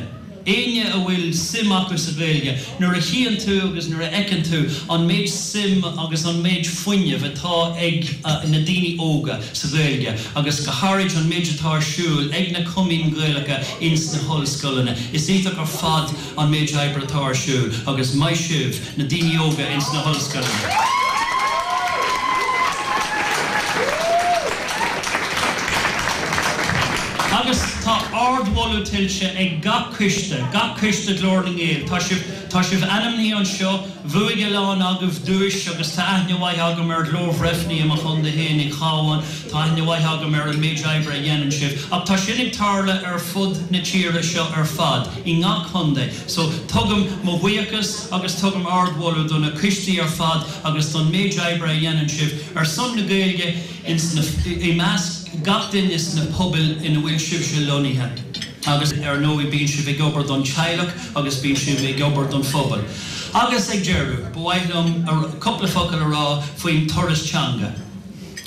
Éinne a bhfuil suim acu sa Ghaeilge, nuair a chíonn tú agus nuair a fheiceann tú an méid suim agus an méid fuinnimh atá ag na daoine óga sa Ghaeilge agus go háirid an méid atá ar siúl ag na cumainn Ghaelacha ins na hollscoileanna, is iontach ar fad an méid oibre atá ar siúl agus maith sibh, na daoine óga ins na hollscoileanna. Agus tá ardmholadh tuillte ag gach coiste, gach coiste Ghlór na nGael. Tá sibh, tá sibh ainmnithe anseo, bhuaigh a lán agaibh duais agus tá aithne mhaith agam ar Ghlór Bhreifne i mo chontae féin i Cabhán, tá aithne mhaith agam ar an méid oibre a dhéanann sibh. Ach tá sin ag tarlú ar fud na tíre seo ar fad, i ngach contae. So, tugaim mo bhuíochas agus tugaim ardmholadh do na coistí ar fad agus don méid oibre a dhéanann sibh ar son na Gaeilge ins na, i measc gach duine sna pobail ina bhfuil sibhse lonnaithe. Agus ar ndóigh bíonn sibh ag obair don teaghlach agus bíonn sibh ag obair don phobal. Agus ag deireadh, ba mhaith liom cúpla focal a rá faoin turas teanga.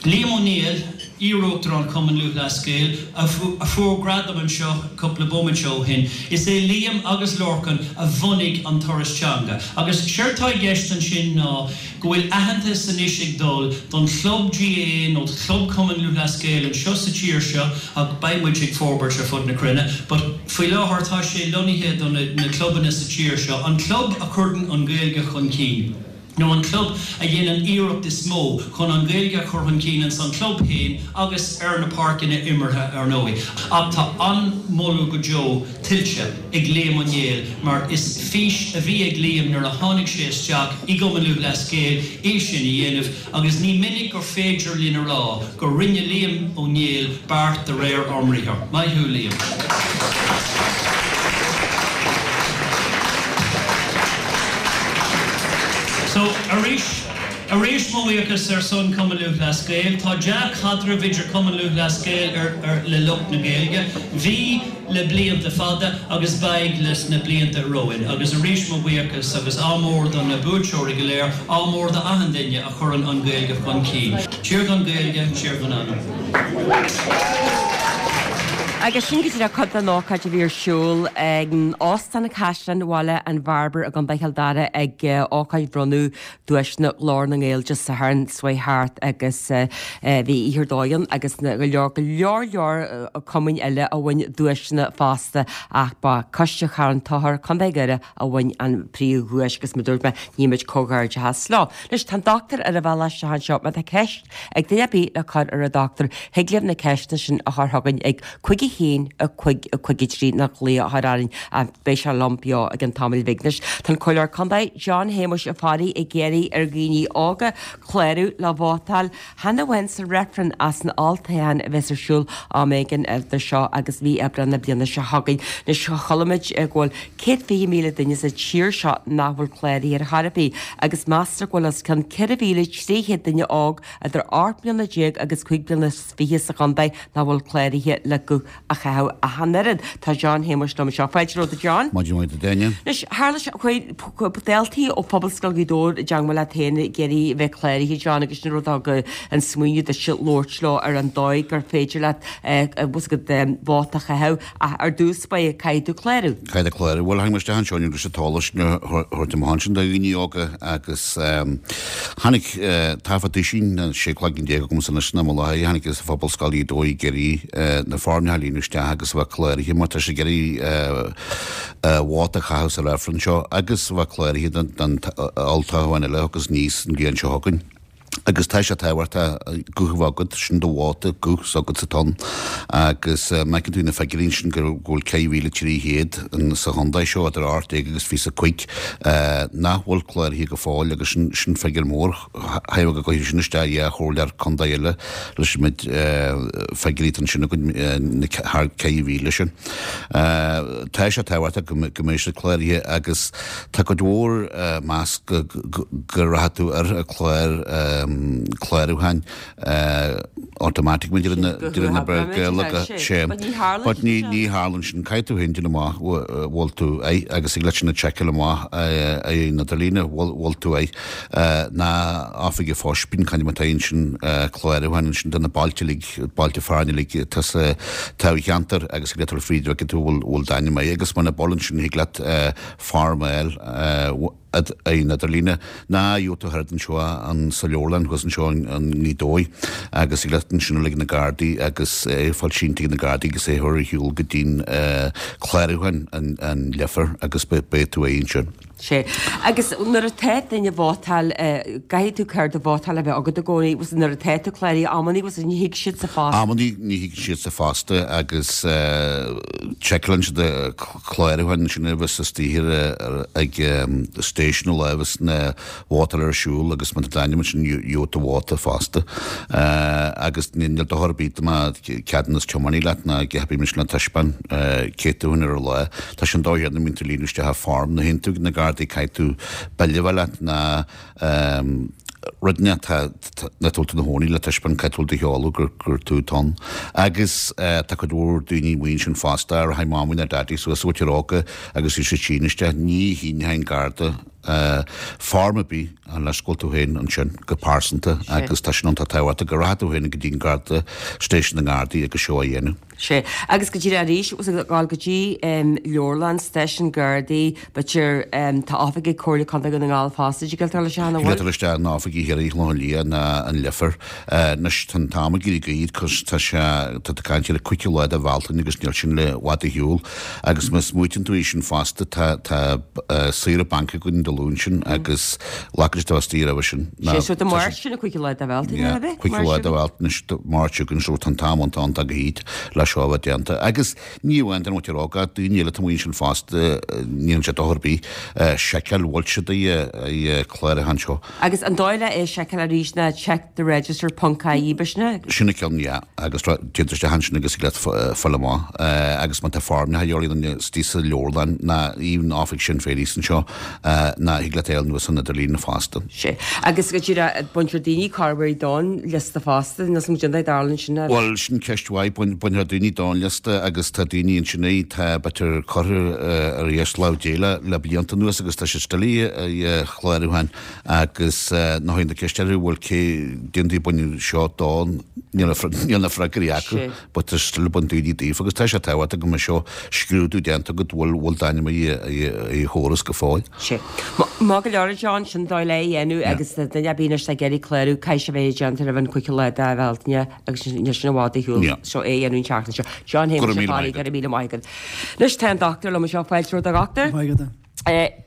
Liam Ó Néill, iar-Uachtarán Chumann Lúthchleas Gael, a fuair gradam anseo cúpla bomaite ó shin. Is é Liam agus Lorcan a bhunaigh an Turas Teanga. Agus séard tá i gceist ansin ná go bhfuil aitheantas anois ag dul don chlub GAA nó do chlub Chumann Lúthchleas Gael anseo sa tír seo ach beidh muid ag forbairt ar fud na cruinne but faoi láthair tá sé lonnaithe do na clubanna sa tír seo, an club a chuireann an Ghaeilge chun cinn. nó an club a dhéanann iarracht is mó chun an Ghaeilge a chur chun cinn ins an chlub féin agus ar na páirceanna imeartha ar ndóigh. Ach tá an-mholadh go deo tuillte ag Liam Ó Néill mar is fís a bhí ag Liam nuair a tháinig sé isteach i gCumann Lúthchleas Gael é sin a dhéanamh agus ní minic gur féidir linn a rá gur rinne Liam Ó Néill beart de réir ár mbriathar. Maith thú Liam. So, arís, arís mo bhuíochas ar son Cumann Lúthchleas Gael. Tá dea-chaidreamh idir Cumann Lúthchleas Gael ar, ar, le lucht na Gaeilge. Bhí le blianta fada agus beidh leis na blianta romhainn. Agus arís mo bhuíochas agus ádh mór do na buaiteoirí go léir, ádh mór do achan duine a chuireann an Ghaeilge chun cinn. Tír gan Gaeilge, tír gan anam. Agus sin go díreach cuid den ócáid a bhí ar siúl ag Óstán Chaisleán Bhaile an Bhearbair i gContae Chill Dara ag ócáid bhronnadh duaiseanna Ghlór na nGael Dé Sathairn seo chuaigh thart agus bhí oíche ar dóigh ann agus go leor go leor leor cumainn eile a bhain duaiseanna fosta ach ba Coiste Charn Tóchair, Contae Dhoire a bhain an príomhdhuais agus mar dúirt mé nímid comhghairdeachas leo. Anois tá an dochtúir ar a bhealach isteach anseo má tá ceist ag duine ar bith le cur ar an dochtúir thig libh na ceisteanna sin a chur chugainn ag 5 1 5 5 3 nó glaoch a chur orainn ach beidh sé liom beo i gceann tamaill bhig. Anois tá an Comhairleoir Contae John Shéamuis Ó Fearraigh ag iarraidh ar dhaoine óga clárú le vótáil chan amháin sa reifreann ach san olltoghchán a bheas ar siúl am éigin idir seo agus mí Aibreán na bliana seo chugainn. Anois chuala muid go bhfuil 120,000 duine sa tír seo nach bhfuil cláraithe ar chor ar bith agus meastar go bhfuil os cionn 4,300 duine óg idir 18 mbliana agus 25 bliana sa chontae nach bhfuil cláraithe le guth. a chaitheamh ach an oiread. Tá John Shéamuis liom anseo. Fáilte romhat a John. Maidin mhaith duit Áine. Anois, tharla sé, chuaigh daltaí ó Phobalscoil Ghaoth Dobhair i dteangmháil leat féin ag iarraidh a bheith cláraithe, John, agus sin an rud a thug an smaoineamh duitse labhairt leo ar an dóigh gur féidir leat bhfuil a fhios agat vóta a chaitheamh ach ar dtús báire caithfidh tú clárú. Caithfidh tú clárú. Bhuel, tháinig mé isteach anseo inniu leis an t-eolas sin a thabhairt amach ansin do dhaoine óga agus tháinig tá fá duisín, 16 cloigeann agamsa anois san am i láthair, tháinig as Phobalscoil Ghaoth Dobhair ag iarraidh na foirmeacha a líonadh isteach agus a bheith cláraithe mar tá siad ag iarraidh vóta a chaitheamh sa reifreann seo agus a bheith cláraithe don olltoghchán eile a thiocfas aníos an bhliain seo chugainn. Agus tá sé tábhachtach guth a bheith agat, sin do vóta, guth s'agatsa atá ann. Agus má fheiceann tú na figiúirí ansin go bhfuil 4,300 sa chontae seo idir 18 agus 25 nach bhfuil cláraithe go fóill agus sin figiúr mór. Thaobh go gcuirfidh sin isteach ar chomhairleoir contae eile leis an méid figiúirí atá ansin againn, na thar 4,000 sin. Tá sé tábhachtach go mbeidh siad cláraithe agus tá cuid mhór meas go rachaidh tú ar an chlár clárúcháin automatic mar a deireann na Gaeilge sé. But ní tharlaíonn sin. Caithfidh tú féin déanamh amach bhfuil tú air agus thig leat sin a tseiceáil amach ar an idirlíne bhfuil tú air. Ná oifig an phoist, bíonn caint má tá ansin clárúcháin ansin do na bailte uilig, bailte fearainn uilig atá sa toghcheantar agus thig leat dul fríd bhfeiceann tú bhfuil d'ainm air agus muna bhfuil ansin thig leat form a fháil ar an idirlíne ná gheobhaidh tú thart anseo an sa leabharlann thuas anseo i nGaoth Dobhair agus thig leat ansin a fháil ag na Gardaí agus é a fháil sínte ag na Gardaí agus é a chur ar shiúl go dtí'n clárúchán an Leifear agus beidh tú air ansin. Sea. Agus nuair atá duine ag vótáil, caithfidh tú cárta vótála a bheith agat i gcónaí, agus nuair atá tú cláraithe, amannaí agus ní thig siad sa phost. Amannaí ní thig siad sa phost agus seiceálann siad clárúchán ansin a bheas istigh ag station an lá a bheas na vótáil ar siúl agus má tá d'ainm ansin gheobhaidh tú vóta fosta. Agus níl dochar ar bith dá mbeadh ceadúnas tiománaí leat ná a dhath ar bith mar sin le taispeáin cé tú féin ar an lá. Tá sé an dóigh chéanna mbíonn tú ag líonadh isteach an form nuair a théann tú ag na Gardaí caithfidh tú bille a bheith leat ná rud inteacht nach bhfuil tú ina chónaí le taispeáint cá bhfuil do sheoladh gur gur tú atá ann. Agus tá cuid mhór daoine amuigh ansin fosta a rachaidh mamaí nó daidí suas a bhfuil óga agus bhí siad sín isteach ní shíneoidh an Garda form ar bith unless go bhfuil tú féin ansin go pearsanta agus tá sin iontach tábhachtach go rachaidh tú féin go dtí an Garda station na nGardaí agus seo a dhéanamh. Sea. Agus go díreach arís, agus ag dul go dtí leabharlann, stáisiún Gardaí, b'fhéidir, tá oifig ag Comhairle Contae Dhún na nGall fosta, dtig leat dul isteach ann, an bhfuil? Thig leat dul isteach in oifigí thiar i gClochán Liath ná an Leifear. Anois, tá an t-am ag éirí gairid cos tá sé, tá tú ag caint ar an 5ú lá de Bhealtaine agus níl sin i bhfad ar shiúl. Agus má smaoitíonn tú air sin fosta, tá, tá saoire banc againn Dé Luain sin agus glacann siad istigh roimhe sin. Sé so Dé Máirt sin an 5ú lá de Bhealtaine, Yeah, ab ea? 5ú lá de Bhealtaine, Máirt seo chugainn, so tá an t-am iontach iontach gairid le seo a bheith déanta. Agus ní amháin don mhuintir óg, ach daoine eile atá amuigh ansin fosta, ní dhéanann sé dochar ar bith seiceáil bhfuil siad ar an chlárúchán seo. Agus an dóigh le é a seiceáil arís ná check the register ponc ie, b'shin é? Sin an ceann, yeah. Agus téann tú isteach ansin agus thig leat fáil amach. Agus má tá foirmeacha a dhíobháil duine istigh sa leabharlann ná even oifig Sinn Féin thíos anseo, ná thig leat é a fháil anuas an idirlíon fosta. Sea. Agus go díreach, baintear daoine corruair don liosta fosta, níl 's agam goidé a tharlaíonn sin. Bhuel, sin ceist mhaith. Baintear daoine don liosta agus tá daoine ansin é, tá b'fhéidir curtha ar dheis lámh Dé le le blianta anuas agus tá siad still ar chlárúchán agus nuair a théann tú ag ceist orthu bhuel cé déantaí baineadh seo don níl na freagraí acu. But tá still ag baint daoine daofa agus tá sé tábhachtach go mbeidh seo scrúdú déanta agat bhfuil bhfuil d'ainm ar an chóras go fóill. Sea. Maith go leor a John, sin dóigh le é a dhéanamh agus duine ar bith anois atá ag iarraidh clárú, caithfidh sé bheith déanta roimh an 5ú lá de Bhealtaine agus níl sin i bhfad ar shiúl so é a dhéanamh an tseachtain seo. John Go raibh míle maith agat. Go raibh míle maith agat. Anois tá an dochtúir liom anseo, fáilte romhat a dhochtúir. Maith agat.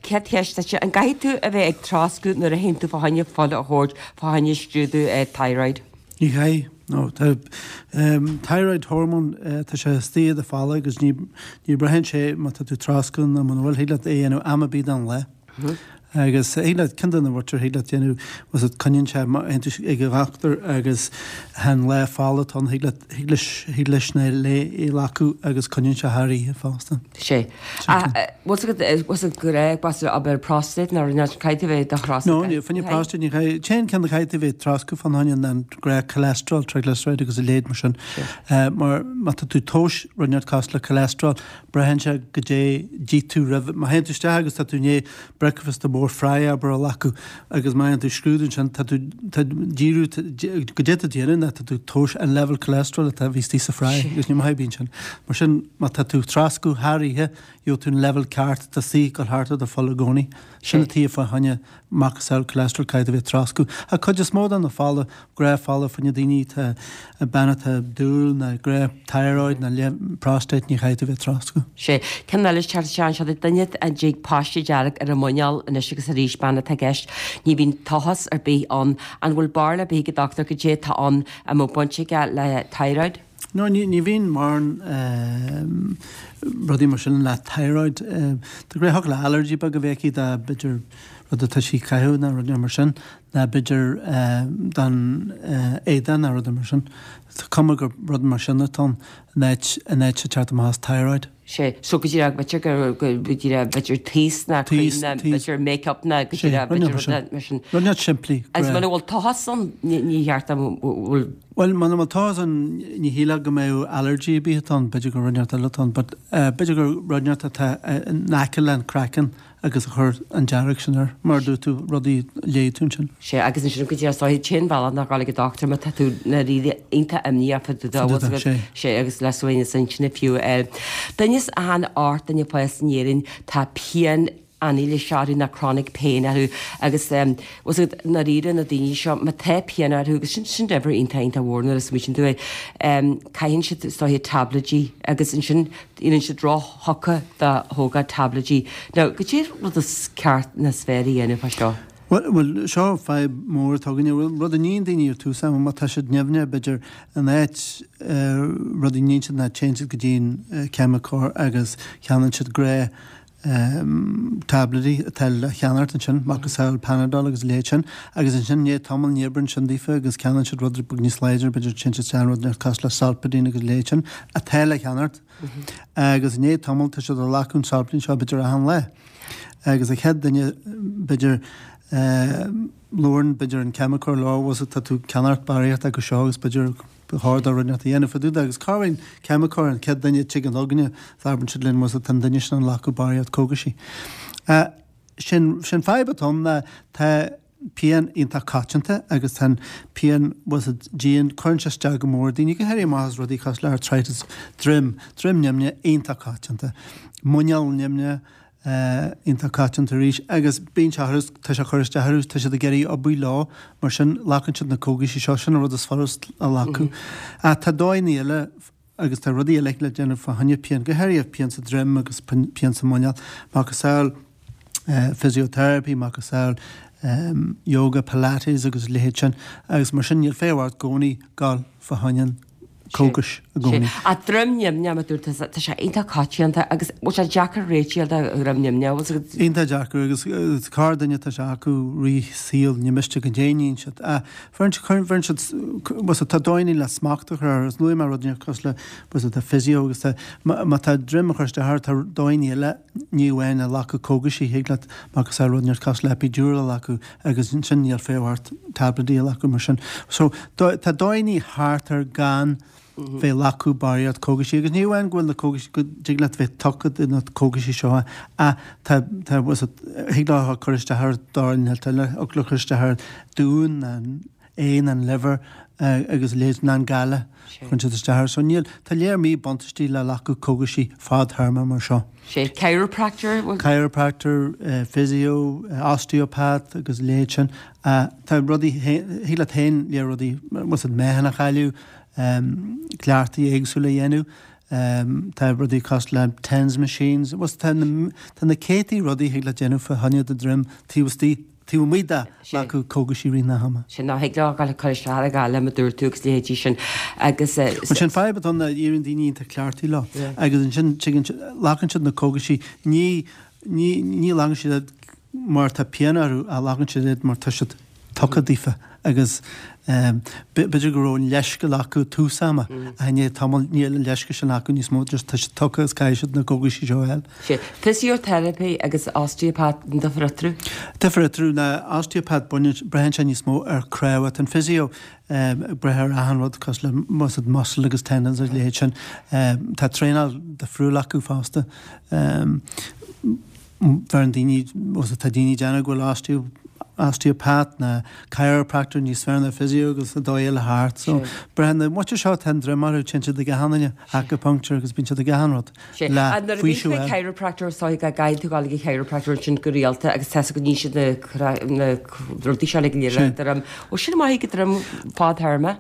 Céad cheist duitse, an gcaithfidh tú a bheith ag troscadh nuair a théann tú fá choinne fuil a thabhairt fá choinne scrúdú thyroid? Ní chaithfidh, no. Tá thyroid hormone, tá sé istigh i do pholla agus ní ní braitheann sé má tá tú troscadh nó muna bhfuil, thig leat é a dhéanamh am ar bith den lá. Agus thig leat, ceann de na rudaí thig leat déanamh, bhfuil 's agat, coinníonn sé, má théann tú ag an dhochtúir agus an lá fola atá ann, thig leat, thig leis, thig leis na é a ghlacadh agus coinníonn sé thar oíche fosta. Sé. Ach bhfuil 's agat, bhfuil 's agat go raibh, b'fhéidir abair prostate nó rud éigin, caithfidh tú bheith do throscadh. No, ní, fá choinne prostate, ní chaithfidh, téann ceann a chaithfidh tú bheith ag troscadh fán choinne ná an gnáth cholesterol, triglyceride agus a leithéid mar sin. Mar má tá tú ag tomhas rud inteacht cosúil le cholesterol, braitheann sé goidé d'ith tú roimh, má théann tú isteach agus tá tú i ndiaidh breakfast mór fry abair a ghlacadh agus má théann tú scrúdú ansin tá tú tá díriú goidé tá tú déanamh ná tá tú ag tomhas an level cholesterol atá bhí istigh sa fry agus ní maith a bhíonn sin. Mar sin má tá tú ag troscadh thar oíche gheobhaidh tú an level ceart atá istigh ag dul thart i do fhuil i gcónaí. Sin an tuige fá choinne macasamhail cholesterol caithfidh tú bheith ag troscadh. Ach cuid is mó de na fola, gnáth fola fá choinne daoine atá, bean atá dúil ná gnáth thyroid ná prostate ní chaithfidh tú bheith ag troscadh. Sé. Ceann eile teacht isteach anseo do duine a dtig paiste dearg ar a muineál anois agus arís, bean atá i gceist. Ní bhíonn tochas ar bith ann. An bhfuil barúil ar bith ag an dochtúir goidé atá ann, an mbeadh baint aige le thyroid? No, ní, ní bhíonn mórán rudaí mar sin le thyroid. De ghnáth thiocfadh le allergy beag a bheith aici dá b'fhéidir rud atá sí ag caitheamh nó rud mar sin, nó b'fhéidir don éadach nó rud mar sin. Tá cuma gur rud mar sin atá ann in áit, in áit ag teacht amach as thyroid. Sé, so go díreach, b'fhéidir gur, go díreach, b'fhéidir taos ná cream ná b'fhéidir make-up ná go díreach, b'fhéidir rud mar sin. Rud inteacht simplí. Agus muna bhfuil tochas ann, ní cheart an bhfuil. Bhuel, muna bhfuil tochas ann, ní shílfeá go mbeadh allergy ar bith atá ann, b'fhéidir gur rud inteacht eile atá ann, but b'fhéidir gur rud inteacht atá in aice le an craiceann agus a chuir an dearg sin air, mar a dúirt tú, rudaí a léigh tú ansin. Sea, agus ansin go díreach is dóiche, an t-aon bhealach ná dhul ag an dochtúir má tá tú dáiríre iontach imníoch fá dtaobh de, bhfuil fhios agat, sea, agus le suaimhneas intinne fiú a fháil. Duine as achan 8 duine fásta in Éirinn, tá pian anailíse orthu nó chronic pain orthu agus bhfuil fhios agat, i ndáiríre na daoine seo, má tá pian orthu, agus sin, sin uimhir iontach, iontach mhór nuair a smaoitíonn tú é, caitheann siad is dóiche tablaidí agus ansin Éiríonn siad ró-thugtha do thógáil tablaidí. Now, goidé rud is ceart nó is fearr a dhéanamh fá seo? Bhuel, bhuel, seo fadhb mór atá againne. Bhuel, rud a níonn daoine ar tús ama, má tá siad nimhneach, b'fhéidir, in áit, rud a níonn siad ná téann siad go dtí an ceimiceoir agus ceannaíonn siad gnáth tablaidí atá le ceannacht ansin, macasamhail Panadol agus a leithéid sin, agus ansin i ndiaidh tamaill ní oibríonn sin daofa agus ceannaíonn siad rud beag níos láidre, b'fhéidir téann siad isteach in rud cosúil le Solpadeine agus a leithéid sin, atá le ceannacht. Agus i ndiaidh tamaill tá siad ag glacadh an Solpadeine seo b'fhéidir achan lá. Agus an chéad duine b'fhéidir labhrann b'fhéidir an ceimiceoir leo, bhfuil 's agat tá tú ag ceannacht barraíocht acu seo agus b'fhéidir Ba chóir do rud inteacht a dhéanamh fá dtaobh de agus cá raibh an ceimiceoir, an chéad duine a tigeann chugainne, abrann siad linn, bhfuil 's agat, tá an duine sin ag glacadh barraíocht cógaisí. Sin, sin fadhb atá ann ná tá pian iontach coitianta agus tá an pian, bhfuil 's agat, dian, cuireann sé isteach go mór ar daoine, go háirithe amach as rudaí cosúil le arthritis, droim, droim nimhneach iontach coitianta, muineál nimhneach, iontach coitianta arís agus bíonn sé orthu, tá sé ag cur isteach orthu, tá siad ag iarraidh oibriú leo, mar sin glacann siad na cógaisí seo, sin an rud is furast a ghlacadh. Ach tá dóigheanna eile agus tá rudaí eile le déanamh fá choinne pian, go háirithe pian sa droim agus pian sa muineál, macasamhail physiotherapy, macasamhail yoga, pilates agus a leithéid sin agus mar sin níl feidhm ort i gcónaí dul fá choinne an cógais i gcónaí. Ach droim nimhneach, mar a dúirt tusa, tá sé iontach coitianta agus bhfuil sé deacair réitigh do dhroim nimhneach, bhfuil 's agat? Iontach deacair agus corrdhuine tá sé acu rith saoil, ní miste go ndéanann siad. Bheireann siad, bheireann siad, bhfuil 's agat, tá dóigheanna le smacht a chur air agus luaigh mé rud inteacht cosúil le, bhfuil 's agat, tá physio agus tá, má tá droim ag cur isteach ort, tá dóigheanna eile, ní amháin a ghlacadh cógaisí, thig leat macasamhail rud inteacht cosúil le epidural a ghlacadh agus ansin níl feidhm ort tablaidí a ghlacadh mar sin. So tá dóigheanna thart ar gan bheith ag glacadh barraíocht cógaisí agus ní amháin go bhfuil na cógaisí, go dtig leat bheith tugtha do na cógaisí seo ach tá, tá, thig leo cur isteach ar dóigh inteacht eile, thig leo cur isteach ar d'uain, an aon, an liver agus a leithéid, ná an gaile, cuireann siad isteach air. So níl, tá léar míbhuntáistí le glacadh cógaisí fadthéarma mar seo. Sé chiropractor? Chiropractor, physio, osteopath agus a leithéid sin. Tá rudaí, thig leat féin léar rudaí, bhfuil 's agat, meáchan a chailleadh, cleachtaí éagsúla a dhéanamh, tá rudaí cosúil le TENS machines, bhfuil 's agat, tá na céadtaí rudaí a thig leat déanamh fá choinne do droim taobh istigh. taobh amuigh de ghlacadh cógaisí rith na hama. Sin ná thig leo dul ag cur isteach ar an gcaille mar a dúirt tú agus leithéidí sin agus. Bhuel sin fadhb atá ann ná éiríonn daoine iontach cleachtaithe leo agus ansin tuigeann siad, glacann siad na cógaisí, ní, ní, ní ghlacann siad iad. mar tá pian orthu ach glacann siad iad mar tá siad tugtha daofa agus b'fhéidir go raibh an leithscéal acu tús ama ach i ndiaidh tamaill níl an leithscéal sin acu níos mó just tá siad tugtha agus caithfidh siad na cógaisí seo a fháil. Sea. Physiotherapy agus osteopath an difear eatarthu? Difear eatarthu ná osteopath baineann, braitheann sé níos mó ar chnámha. Tá an physio ag brath ar achan rud cosúil le muscle agus tendons agus a leithéid sin. Tá traenáil difriúil acu fosta. Bheireann daoine, tá daoine ag déanamh go bhfuil osteo, osteopath ná chiropractor níos fearr ná physio agus an dóigh eile thart. So, braitheann na muintir seo tá an droim orthu, téann siad ag achan duine, acupuncture agus bíonn siad ag achan rud le Nuair a bhíonn faoiseamh tú ag a fháil. chiropractor is dóigh go gcaithfidh tú dul ag an chiropractor ansin go rialta agus tá 's go níonn siad na na rudaí seo le go léir le droim. Ó sin maith ag droim fadthéarma.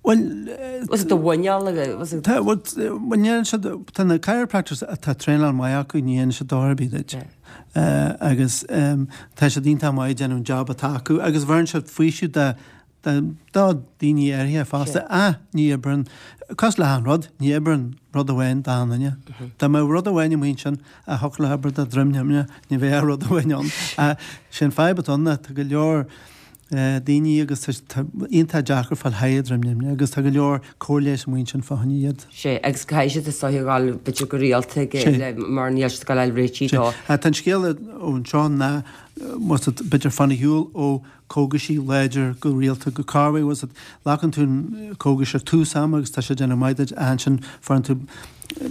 Bhuel, Was it do mhuineál was it? Tá, bhuel, ní dhéanann siad, tá na chiropractors atá traenáil maith acu, ní dhéanann siad dochar ar bith duit. Agus tá siad iontach maith ag déanamh an job atá acu agus bheireann siad faoiseamh do, do, do daoine áirithe fosta. Ach ní oibreann, cosúil le achan rud, ní oibreann rud amháin d'achan duine. Dá mbeadh rud amháin amuigh ansin a thiocfadh le hobair do dhroim nimhne, ní bheadh ach rud amháin ann. Ach sé an fadhb atá ann ná tá go leor, daoine agus tá iontach deacair fáil thaithí droim nimhne agus tá go leor cóir leighis amuigh ansin fá choinne iad. Sea, agus caithfidh siad is dóiche a ghabháil b'fhéidir go rialta ag le mar níl siad ag gabháil réitithe dó. Tá an scéal anseo ná bhfuil b'fhéidir fan ar shiúl ó cógaisí láidir go rialta go corruair bhfuil glacann tú an cógais ar tús ama agus tá sé ag déanamh maith duit ach ansin faigheann tú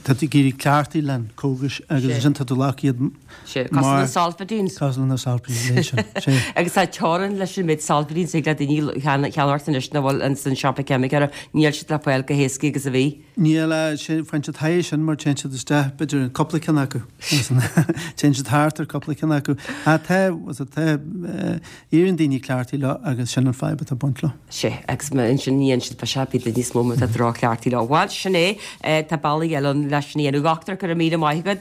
tá tú ag éirí cleachtaithe le an cógais agus ansin tá tú ag glacadh iad Sea, cosúil le Solpadeine. Cosúil le Solpadeine, sin. Sea. Agus tá teorainn leis an méid Solpadeine a thig le daoine cheannacht anois nach bhfuil ins an siopa ceimiceora, níl siad le fáil chomh héasca agus a bhí. Níl, sea, faigheann siad thaithí sin mar téann siad isteach, b'fhéidir, cúpla ceann acu. Téann siad thart ar cúpla ceann acu. Ach tá, tá, éiríonn daoine cleachtaithe leo agus sin an fadhb atá ag baint leo. Sea, agus ansin ní dhéanann siad ba sea, bíonn níos mó má tá droch-chleachtaí leo. Bhuel, sin é, tá bealaí eile ann leis sin a dhéanamh. A dhochtúir, go raibh míle maith agat.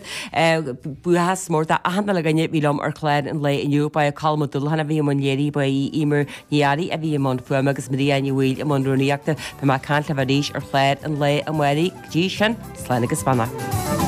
Buíochas mór d'achan uile dhuine a bhí liom ar chlár an lae inniu. Ba é Colm Ó Dúlacháin a bhí i mbun léirithe, ba í Eimear Ní Fhearraigh a bhí i mbun fuaime agus Maria Ní Bhaoill i mbun rúnaíochta. Beidh mé ag caint libh arís ar chlár an lae amárach. Go dtí sin, slán agus beannacht.